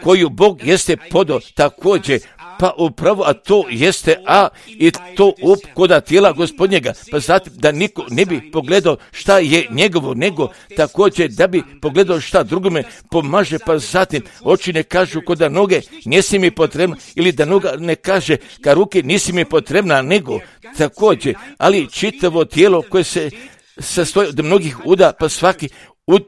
koju Bog jeste podao također, pa upravo, a to jeste, a i to up koda tijela Gospodnjega, pa zatim da niko ne bi pogledao šta je njegovo, nego također da bi pogledao šta drugome pomaže, pa zatim oči ne kažu koda noge nisi mi potrebna, ili da noga ne kaže ka ruke nisi mi potrebna, nego također, ali čitavo tijelo koje se sastoji od mnogih uda, pa svaki Ud,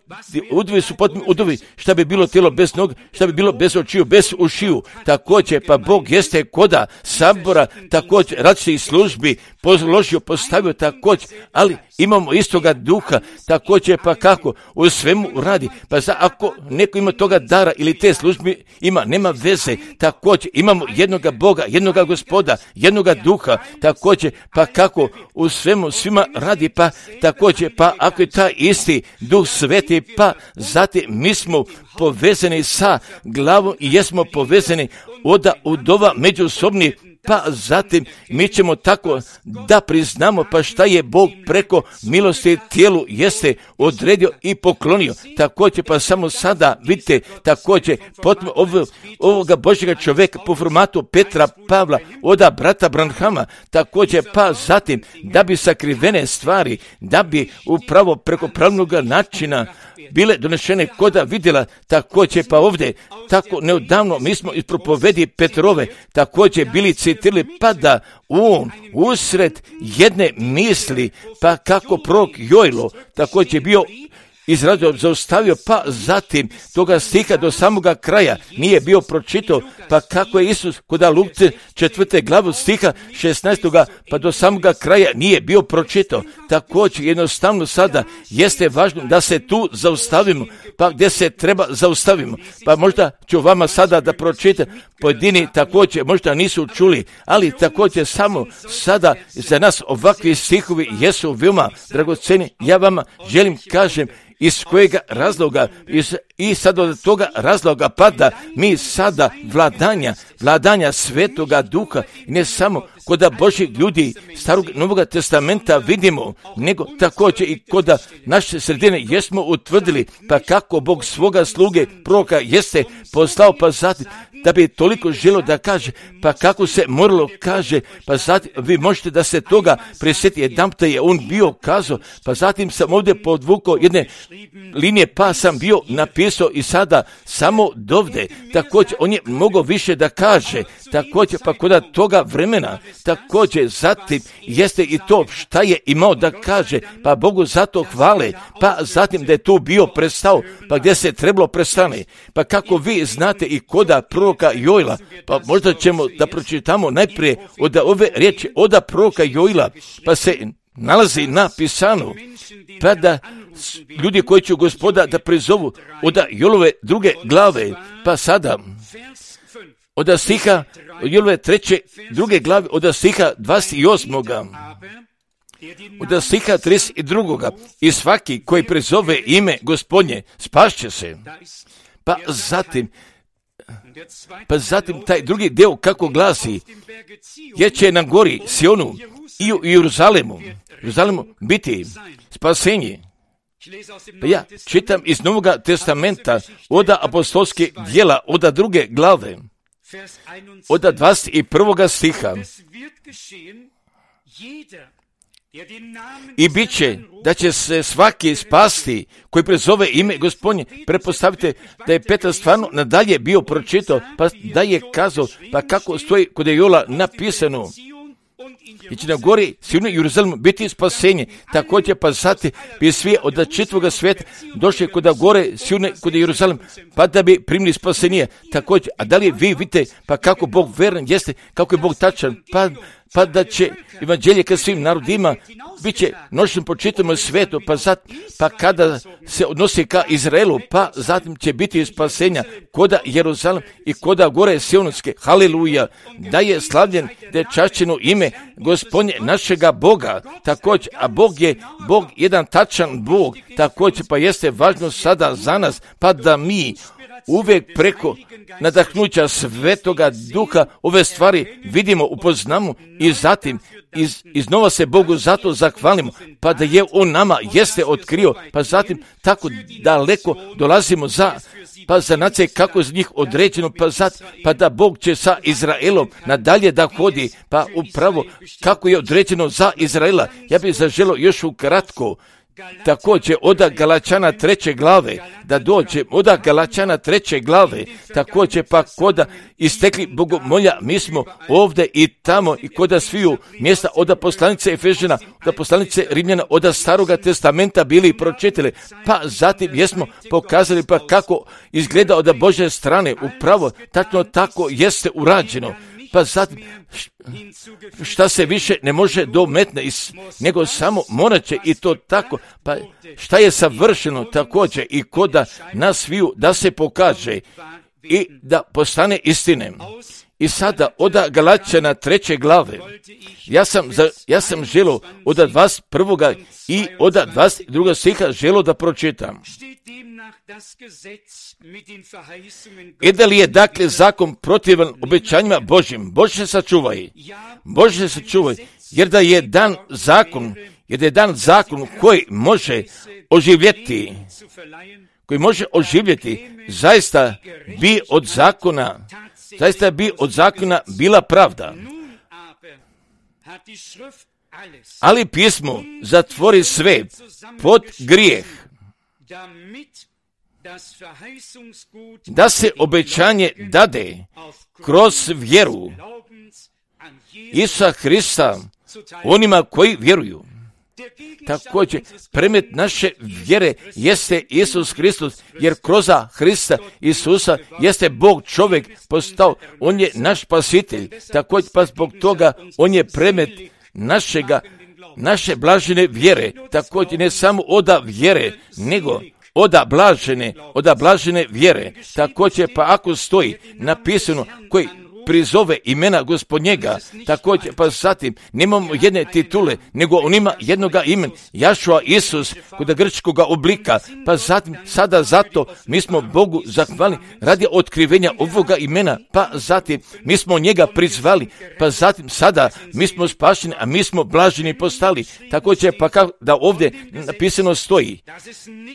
udvi su potpuno udovi, šta bi bilo tijelo bez noga, šta bi bilo bez očiju, bez ušiju, također pa Bog jeste koda sabora, također različitih službi položio, postavio također, ali imamo istoga duha, također pa kako u svemu radi, pa za, ako neko ima toga dara ili te službi ima, nema veze, također imamo jednoga Boga, jednoga Gospoda, jednoga duha, također pa kako u svemu svima radi, pa također pa ako je taj isti duh sveti, pa zatim mi smo povezani sa glavom i jesmo povezani oda udova međusobni, pa zatim mi ćemo tako da priznamo pa šta je Bog preko milosti tijelu jeste odredio i poklonio. Također pa samo sada vidite također potom ovo, ovoga Božjega čovjeka po formatu Petra Pavla oda brata Branhama, također pa zatim da bi sakrivene stvari, da bi upravo preko pravnog načina bile donešene koda vidjela, također pa ovdje tako neodavno mi smo iz propovedi Petrove također bili citirali, pa da on usred jedne misli, pa kako prorok Jojlo također bio izradio, zaustavio, pa zatim toga stiha do samoga kraja nije bio pročitao, pa kako je Isus kod Luke četvrte glavu stiha šesnaestoga pa do samoga kraja nije bio pročitao. Također jednostavno sada jeste važno da se tu zaustavimo, pa gdje se treba zaustavimo. Pa možda ću vama sada da pročitam, pojedini također možda nisu čuli, ali također samo sada za nas ovakvi stihovi jesu veoma dragoceni. Ja vama želim kažem iz kojega razloga iz, i sad od toga razloga pada mi sada vladanja, vladanja Svetoga Duha, ne samo kod Božih ljudi Starog Novoga Testamenta vidimo, nego također i kod naše sredine jesmo utvrdili, pa kako Bog svoga sluge proroka jeste poslao, pa zatim da bi toliko želio da kaže, pa kako se moralo kaže, pa zatim vi možete da se toga prisjeti, jedanputa je on bio kazao, pa zatim sam ovdje podvukao jedne linije, pa sam bio napisao i sada samo dovde, također on je mogao više da kaže, također pa kod toga vremena, također zatim jeste i to šta je imao da kaže, pa Bogu zato hvale, pa zatim da je tu bio prestao, pa gdje se trebalo prestane, pa kako vi znate i koda proroka Joila, pa možda ćemo da pročitamo najprije od ove riječi od proroka Joila, pa se nalazi napisano, pa da ljudi koji će Gospoda da prizovu od Jolove druge glave, pa sada od stiha Jolove treće druge glave, od stiha dvadeset osmoga od stiha trideset drugoga i svaki koji prizove ime Gospodnje spašće se. Pa zatim Pa zatim taj drugi deo kako glasi, jer će na gori Sionu i u Jeruzalemu, Jeruzalemu biti spasenje. Pa ja čitam iz Novoga Testamenta od apostolske djela, od druge glave, od dvadeset prvog stiha. I bit će da će se svaki spasti koji prezove ime Gospodnje. Prepostavite da je Petar stvarno nadalje bio pročitao, pa da je kazao, pa kako stoji kod Jola napisano, i će na gori Sionu i Jeruzalemu biti spasenje. Također pa zatim bi svi od čitavoga svijeta došli kod gore Sionu kod Jeruzalem, pa da bi primili spasenje. Također, a da li vi vidite pa kako Bog veran jeste, kako je Bog tačan, pa pa da će evanđelje ka svim narodima bit će noćnom po čitavom svijetu, pa, zat, pa kada se odnosi ka Izraelu, pa zatim će biti spasenja koda Jeruzalem i koda gore Sionske. Haleluja, da je slavljen, da je čašćeno ime Gospodnje našega Boga, također, a Bog je Bog jedan tačan Bog, također pa jeste važno sada za nas, pa da mi uvijek preko nadahnuća Svetoga Duha ove stvari vidimo, upoznamo i zatim iz, iznova se Bogu zato zahvalimo, pa da je on nama jeste otkrio, pa zatim tako daleko dolazimo za, pa za nacije kako je za njih određeno, pa, zatim, pa da Bog će sa Izraelom nadalje da hodi, pa upravo kako je određeno za Izraela. Ja bih zaželio još ukratko također od Galačana treće glave, da dođe od Galačana treće glave, također pa koda istekli bogomolja, mi smo ovdje i tamo i koda sviju mjesta od poslanice Efežana, od poslanice Rimljana, od Staroga Testamenta bili pročitali, pa zatim jesmo pokazali pa kako izgleda od Božje strane, upravo tačno tako jeste urađeno. Pa zatim, šta se više ne može dometne, nego samo morat će i to tako, pa šta je savršeno također i koda nas sviju da se pokaže i da postane istine. I sada od Galačana treće glave, ja sam, za, ja sam želio od dvadeset prvog i od dvadeset drugog stiha želio da pročitam. I da li je dakle zakon protivan obećanjima Božjim? Bože se sačuvaj, Bože se sačuvaj, jer da je dan zakon, jer da je dan zakon koji može oživjeti, koji može oživjeti, zaista bi od zakona, zaista bi od zakona bila pravda. Ali pismo zatvori sve pod grijeh, da se obećanje dade kroz vjeru Isusa Hrista onima koji vjeruju. Također, predmet naše vjere jeste Isus Hristos, jer kroz Hrista Isusa jeste Bog čovjek postao, On je naš spasitelj. Također, pa zbog toga On je predmet našega, naše blažene vjere. Također, ne samo oda vjere, nego oda blažene, oda blažene vjere. Također, pa ako stoji napisano koji prizove imena Gospodnjega, također, pa zatim nemamo jedne titule, nego on ima jednoga imena, Jašua Isus, kod grčkoga oblika, pa zatim, sada zato mi smo Bogu zahvalni radi otkrivenja ovoga imena, pa zatim mi smo njega prizvali, pa zatim sada mi smo spašeni, a mi smo blaženi postali. Također, pa kao da ovdje napisano stoji,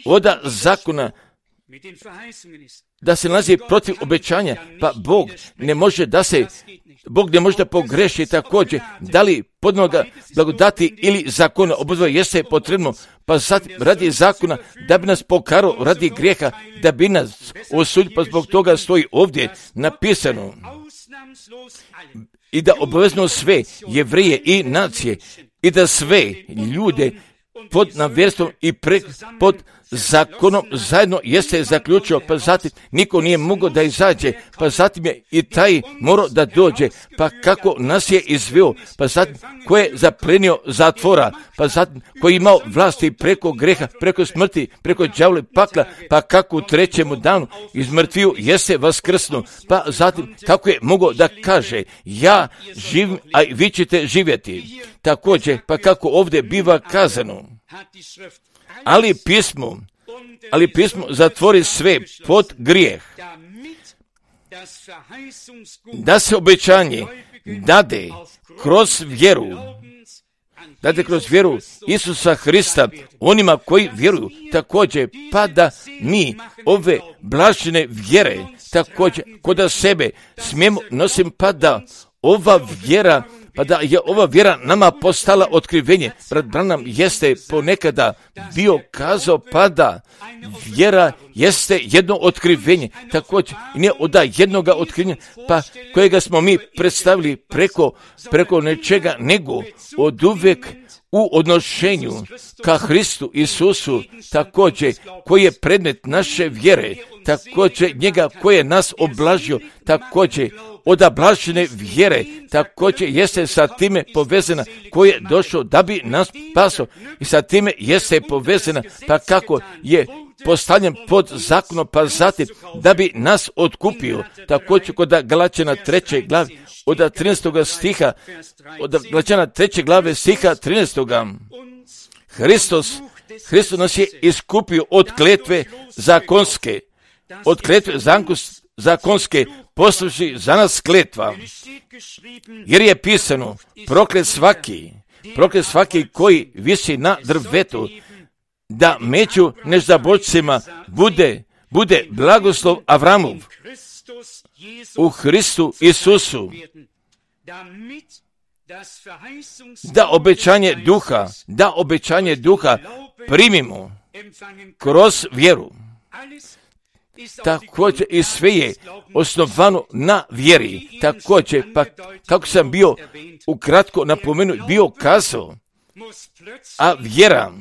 oda zakona da se nalazi protiv obećanja, pa Bog ne može da se, Bog ne može da pogreši. Također, da li podnoga blagodati ili zakona, obodvoje jeste potrebno, pa sad radi zakona da bi nas pokarao radi grijeha, da bi nas osudio, pa zbog toga stoji ovdje napisano i da obavezno sve Jevreje i nacije i da sve ljude pod navjerstvom i pre, pod zakonom zajedno jeste zaključio, pa zatim niko nije mogao da izađe, pa zatim je i taj morao da dođe, pa kako nas je izveo, pa zatim ko je zaplenio zatvora, pa zatim koji je imao vlasti preko greha, preko smrti, preko đavola pakla, pa kako u trećemu danu iz mrtviju jeste vaskrsno, pa zatim kako je mogao da kaže ja živim, a i vi ćete živjeti. Također, pa kako ovdje biva kazano, ali pismo, ali pismo zatvori sve pod grijeh, da se obećanje dade kroz vjeru, dade kroz vjeru Isusa Hrista onima koji vjeruju. Također, pa da mi ove blažene vjere također kod sebe smijemo nosim, pa da ova vjera pa da je ova vjera nama postala otkrivenje. Brat Branham jeste ponekada bio kazao, pa da vjera jeste jedno otkrivenje, također ne od jednoga otkrivenja, pa kojega smo mi predstavili preko, preko nečega, nego od uvijek u odnošenju ka Hristu Isusu, također koji je predmet naše vjere, također njega koji je nas oblažio, također od blažene vjere, također jeste sa time povezana, koji je došao da bi nas spasao i sa time jeste povezana, pa kako je postavljen pod zakonom, pa zatim da bi nas otkupio. Također kod Galačana treće glave od trinaestog stiha, od Galačana treće glave stiha trinaestog. Hristos, Hristos nas je iskupio od kletve zakonske, od kletve zakonske, postavši za nas kletva, jer je pisano, proklet svaki, proklet svaki koji visi na drvetu, da među nezaboljcima bude, bude blagoslov Avramov u Hristu Isusu, da obećanje duha, da obećanje duha primimo kroz vjeru. Također i sve je osnovano na vjeri. Također, pa kako sam bio ukratko napomenuo, bio kazao, a vjera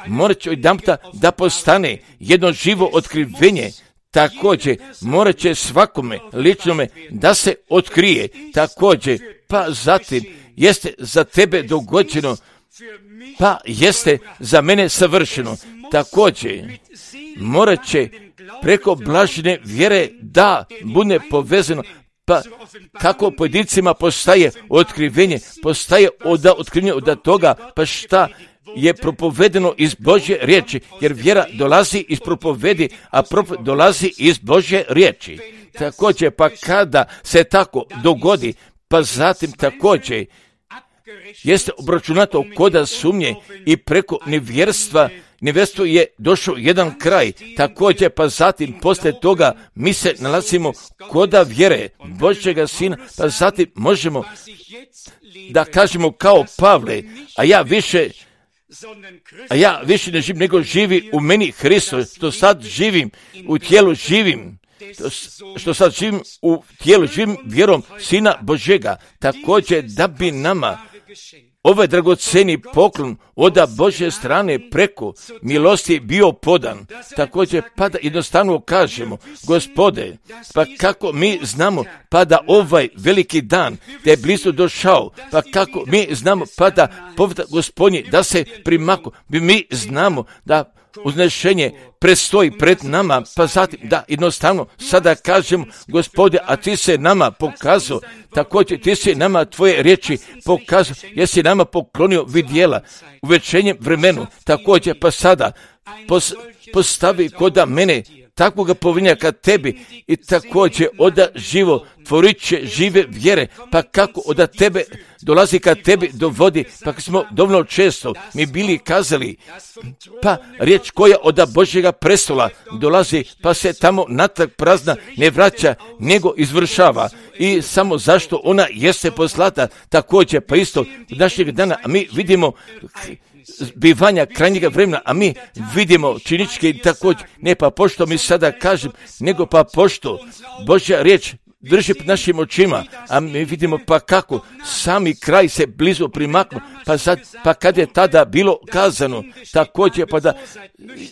morat će odjedanputa da postane jedno živo otkrivenje. Također morat će svakome ličnome da se otkrije. Također, pa zatim jeste za tebe dogođeno, pa jeste za mene savršeno. Također morat će preko blažene vjere da bude povezano, pa kako pojedincima postaje otkrivenje, postaje od otkrivenja od toga, pa šta je propovedeno iz Božje riječi, jer vjera dolazi iz propovedi, a propoved dolazi iz Božje riječi. Također, pa kada se tako dogodi, pa zatim također jeste obračunato koda sumnje i preko nevjerstva, nevjerstvo je došao jedan kraj. Također, pa zatim poslije toga mi se nalazimo koda vjere Božjega Sina, pa zatim možemo da kažemo kao Pavle, a ja više a ja više ne živim, nego živi u meni Hristos, što sad živim u tijelu živim, što sad živim u tijelu živim vjerom Sina Božjega. Također da bi nama ovaj dragoceni poklon oda Božje strane preko milosti bio podan. Također pa da jednostavno kažemo, Gospode, pa kako mi znamo pa da ovaj veliki dan da je blizu došao, pa kako mi znamo pa da povrat Gospodnji da se primako, mi znamo da uznešenje predstoji pred nama, pa zatim da jednostavno sada kažemo, Gospode, a ti se nama pokazao, također ti si nama tvoje riječi pokazao, jesi nama poklonio vidjela u večernjem vremenu, također pa sada pos, postavi koda mene takvoga povinjaka tebi i također oda živo tvorit će žive vjere, pa kako oda tebe dolazi kad tebi dovodi, pa smo dovoljno često mi bili kazali, pa riječ koja oda Božjega prestola dolazi, pa se tamo natrag prazna ne vraća, nego izvršava. I samo zašto ona jeste poslata, također pa isto našeg dana, a mi vidimo bivanja krajnjega vremena, a mi vidimo činičke i također, ne pa pošto mi sada kažem, nego pa pošto Božja riječ drži pred našim očima, a mi vidimo pa kako sami kraj se blizu primaknu, pa sad, pa kad je tada bilo kazano, također pa da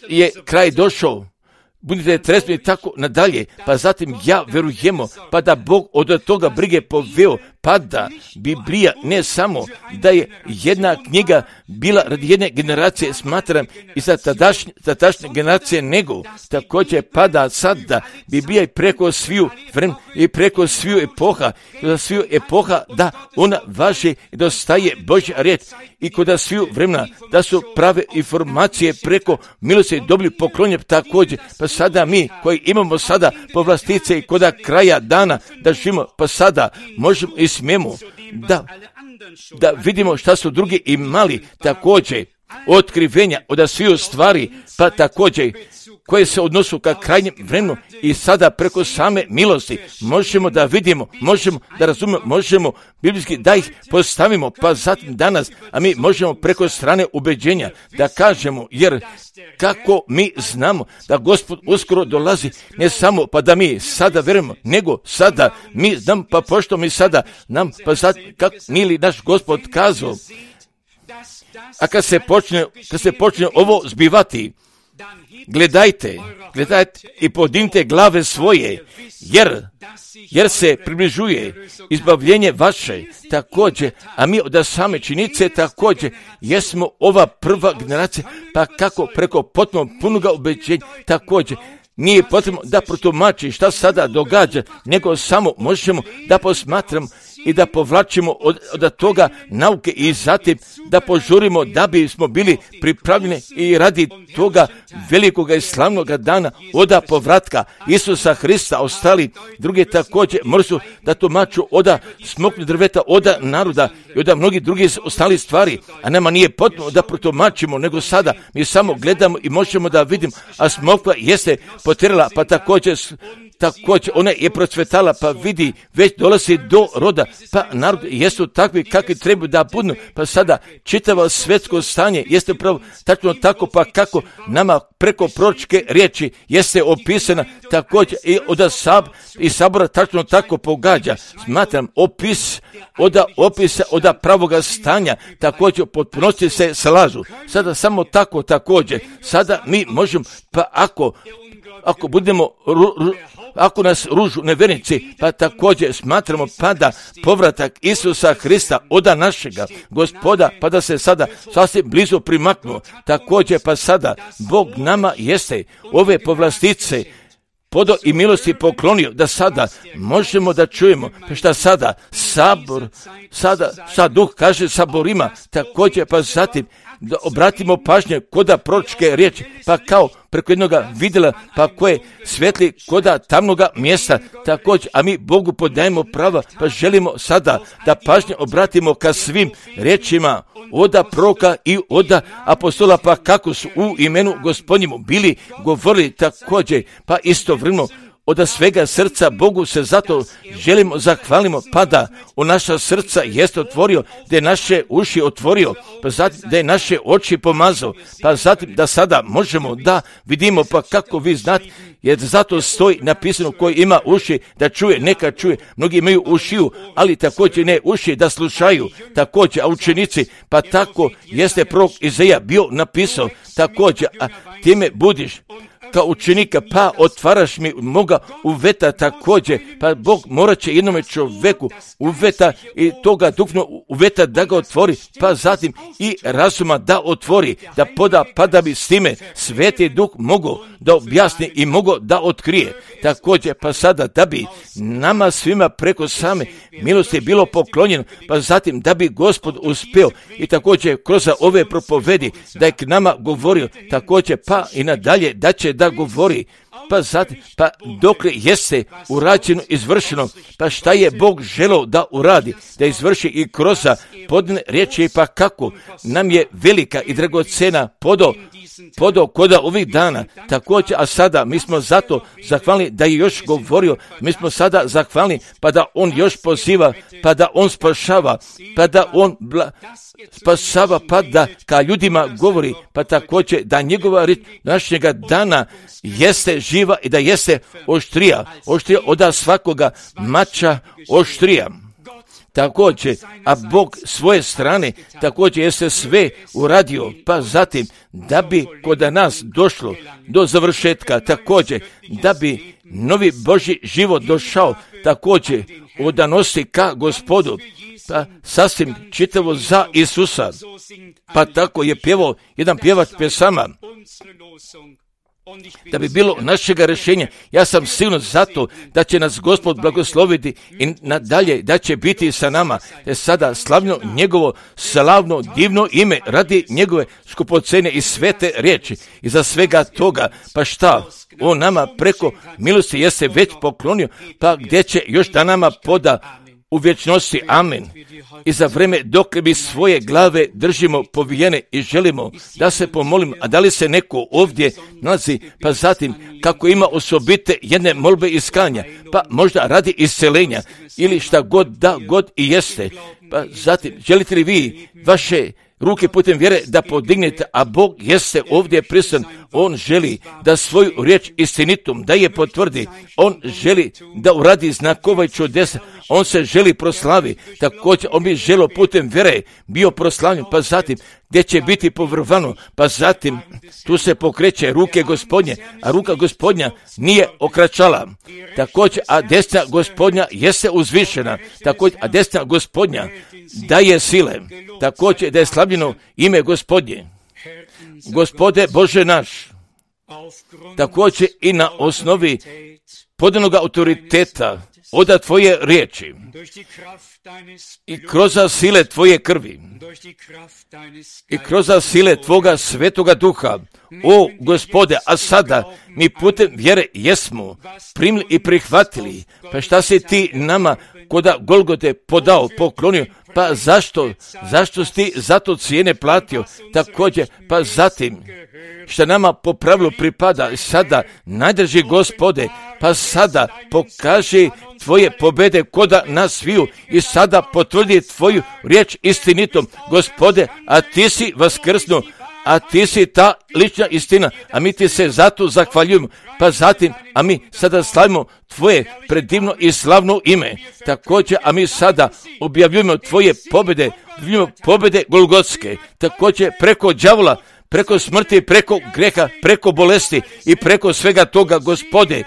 je kraj došao, budite tresni i tako nadalje, pa zatim ja verujemo, pa da Bog od toga brige poveo, pa da Biblija ne samo da je jedna knjiga bila radi jedne generacije, smatram i za tadašnje, tadašnje generacije, nego također pa da sad da Biblija i preko sviju vremena i preko sviju epoha, za sviju epoha da ona važi i dostaje Božja riječ i kod sviju vremena da su prave informacije preko milosti dobili poklonje također, pa sada mi koji imamo sada povlastice i koda kraja dana da živimo, pa sada možemo i smijemo da, da vidimo šta su drugi imali također otkrivenja od sviju stvari, pa također koje se odnosu ka krajnjem vremenu i sada preko same milosti možemo da vidimo, možemo da razumemo, možemo biblijski da ih postavimo, pa zatim danas, a mi možemo preko strane ubeđenja da kažemo, jer kako mi znamo da Gospod uskoro dolazi, ne samo pa da mi sada verujemo, nego sada mi znamo, pa pošto mi sada nam, pa sad kako nije li naš Gospod kazao, a kad se počne, kad se počne ovo zbivati, gledajte, gledajte i podignite glave svoje, jer, jer se približuje izbavljenje vaše također, a mi od same činice također jesmo ova prva generacija, pa kako preko potpuno punoga ubeđenja također. Nije potrebno da protumači šta sada događa, nego samo možemo da posmatramo i da povlačimo od, od toga nauke i zatim da požurimo da bismo bili pripravljeni i radi toga velikoga i slavnoga dana oda povratka Isusa Hrista. Ostali drugi također mrzu da tumaču oda smoknu drveta, oda naroda i oda mnogi drugi ostali stvari, a nama nije potrebno da protumačimo, nego sada mi samo gledamo i možemo da vidimo, a smokva jeste potjerala, pa također također ona je procvetala, pa vidi, već dolazi do roda, pa narod jesu takvi kakvi trebaju da budu, pa sada čitavo svjetsko stanje jeste upravo tačno tako, pa kako nama preko proročke riječi jeste opisana također i od sab, i sabora tačno tako pogađa. Smatram opis od opisa od pravoga stanja također potpunosti se slažu. Sada samo tako također, sada mi možemo, pa ako ako budemo ru, ru, ako nas ružu nevjernici, pa također smatramo pa da povratak Isusa Hrista oda našega Gospoda, pa da se sada sasvim blizu primaknuo, također pa sada Bog nama jeste ove povlastice podo i milosti poklonio, da sada možemo da čujemo, pa šta sada sabor, sada sad duh kaže saborima, također pa zatim da obratimo pažnje koda proročke riječi, pa kao preko jednoga vidjela, pa koje svetli koda tamnoga mjesta, također, a mi Bogu podajemo prava, pa želimo sada da pažnje obratimo ka svim riječima oda proroka i oda apostola, pa kako su u imenu Gospodnjemu bili govorili također, pa istovremeno od svega srca Bogu se zato želimo zahvalimo, pa da u naša srca jeste otvorio, da je naše uši otvorio, pa zatim da je naše oči pomazao, pa zatim da sada možemo da vidimo, pa kako vi znate, jer zato stoji napisano koji ima uši da čuje, neka čuje. Mnogi imaju ušiju, ali također ne uši da slušaju, također, a učenici, pa tako jeste prorok Izaija bio napisao, također, a time budiš kao učenika, pa otvaraš mi moga uveta također, pa Bog morat će jednome čovjeku uveta i toga duhovno uveta da ga otvori, pa zatim i razuma da otvori, da poda, pa da bi s time Sveti Duh mogao da objasni i mogao da otkrije. Također, pa sada da bi nama svima preko same milosti bilo poklonjeno, pa zatim da bi Gospod uspio i također kroz ove propovedi da je k nama govorio, također pa i nadalje da će da govori, pa zatim, pa dokle jeste urađeno, izvršeno, pa šta je Bog želeo da uradi, da izvrši i kroz podne riječi, pa kako nam je velika i dragocena podo, podo koda ovih dana, također, a sada mi smo zato zahvalni da je još govorio, mi smo sada zahvalni, pa da on još poziva, pa da on spašava, pa da on bla, spasava, pa da ka ljudima govori, pa također da njegova riječ našega dana jeste živa i da jeste oštrija, oštrija od svakoga mača oštrija. Također, a Bog svoje strane također jeste sve uradio, pa zatim da bi kod nas došlo do završetka, također da bi novi Božji život došao, također odanosi ka Gospodu, pa sasvim čitavo za Isusa, pa tako je pjevao jedan pjevač pjesama, da bi bilo našega rješenja. Ja sam sigurno zato da će nas Gospod blagosloviti i nadalje da će biti sa nama, te sada slavno njegovo slavno divno ime radi njegove skupocene i svete riječi. I za svega toga, pa šta on nama preko milosti jeste već poklonio, pa gdje će još da nama poda u vječnosti. Amen. I za vreme dok mi svoje glave držimo povijene i želimo da se pomolimo, a da li se neko ovdje nalazi, pa zatim kako ima osobite jedne molbe iskanja, pa možda radi iscelenja ili šta god da god i jeste, pa zatim želite li vi vaše ruke putem vjere da podignete, a Bog jeste ovdje prisutan. On želi da svoju riječ istinitom da je potvrdi. On želi da uradi znakova i čudesa. On se želi proslavi. Također on bi želio putem vjere bio proslavljen, pa zatim gdje će biti povrvano, pa zatim tu se pokreće ruke Gospodnje, a ruka Gospodnja nije okračala. Također, a desna Gospodnja jeste uzvišena. Također, a desna Gospodnja daje sile. Također, da je slavljeno ime Gospodnje. Gospode Bože naš, također i na osnovi podanog autoriteta od Tvoje riječi i kroz sile Tvoje krvi i kroz sile Tvoga Svetoga Duha, o Gospode, a sada mi putem vjere jesmo primili i prihvatili, pa šta si Ti nama koda Golgote podao, poklonio, pa zašto, zašto si Ti zato cijene platio, također, pa zatim, što nama po pravilu pripada, sada najdrži Gospode, pa sada pokaži Tvoje pobjede koda nas sviju i sada potvrdi Tvoju riječ istinitom, Gospode, a Ti si vaskrsnuo, a Ti si ta lična istina, a mi Ti se zato zahvaljujemo, pa zatim, a mi sada slavimo Tvoje predivno i slavno ime, također, a mi sada objavljujemo Tvoje pobjede, objavljujemo pobjede Golgotske, također preko đavola, preko smrti, preko greha, preko bolesti i preko svega toga, Gospode,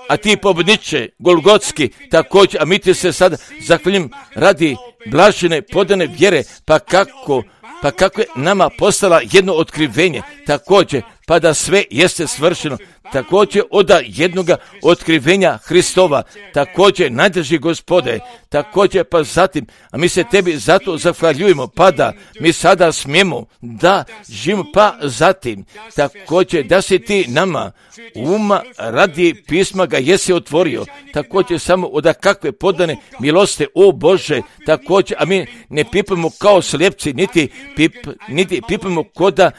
a Ti pobjedniče Golgotski, također, a mi Ti se sada zahvaljujemo radi blažene podane vjere, pa kako Pa kako je nama postala jedno otkrivenje, također, pa da sve jeste svršeno, također od jednoga otkrivenja Hristova, također najdrži Gospode, također pa zatim, a mi se Tebi zato zahvaljujemo, pa da mi sada smijemo da živimo, pa zatim, također da si Ti nama uma radi pisma ga jesi otvorio, također samo od kakve podane milosti, o Bože, također, a mi ne pipamo kao slijepci, niti, pip, niti pipamo koda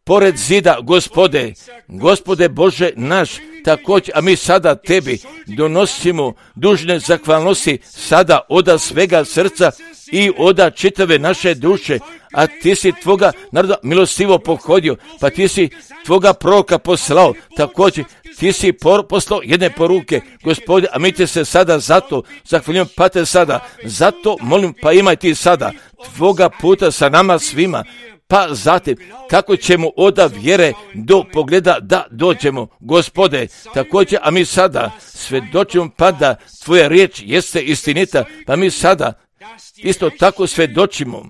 pored zida, Gospode, Gospode Bože naš, također, a mi sada Tebi donosimo dužne zahvalnosti sada oda svega srca i oda čitave naše duše, a Ti si Tvoga naroda milostivo pohodio, pa Ti si Tvoga proroka poslao, također Ti si por, poslao jedne poruke, Gospode, a mi Te se sada zato zahvaljujem, pa Te sada, zato molim, pa imaj Ti sada Tvoga puta sa nama svima, pa zatim kako ćemo oda vjere do pogleda da dođemo, Gospode, također, a mi sada svjedočimo pa da Tvoja riječ jeste istinita, pa mi sada isto tako svjedočimo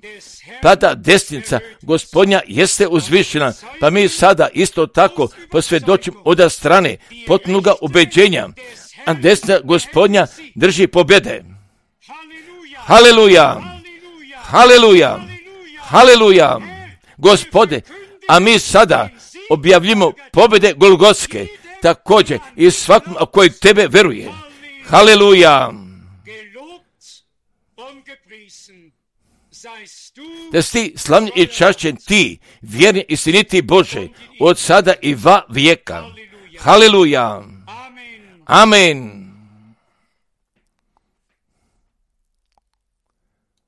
pa da desnica Gospodnja jeste uzvišena, pa mi sada isto tako posvjedočimo oda strane potpunoga ubeđenja, a desna Gospodnja drži pobjede. Haleluja! Haleluja! Haleluja! Gospode, a mi sada objavljimo pobjede Golgotske, također i svakom koji Tebe veruje. Haleluja! Da si Ti slavni i čašćen, Ti, vjerni i istiniti Bože, od sada i va vijeka. Haleluja! Amen!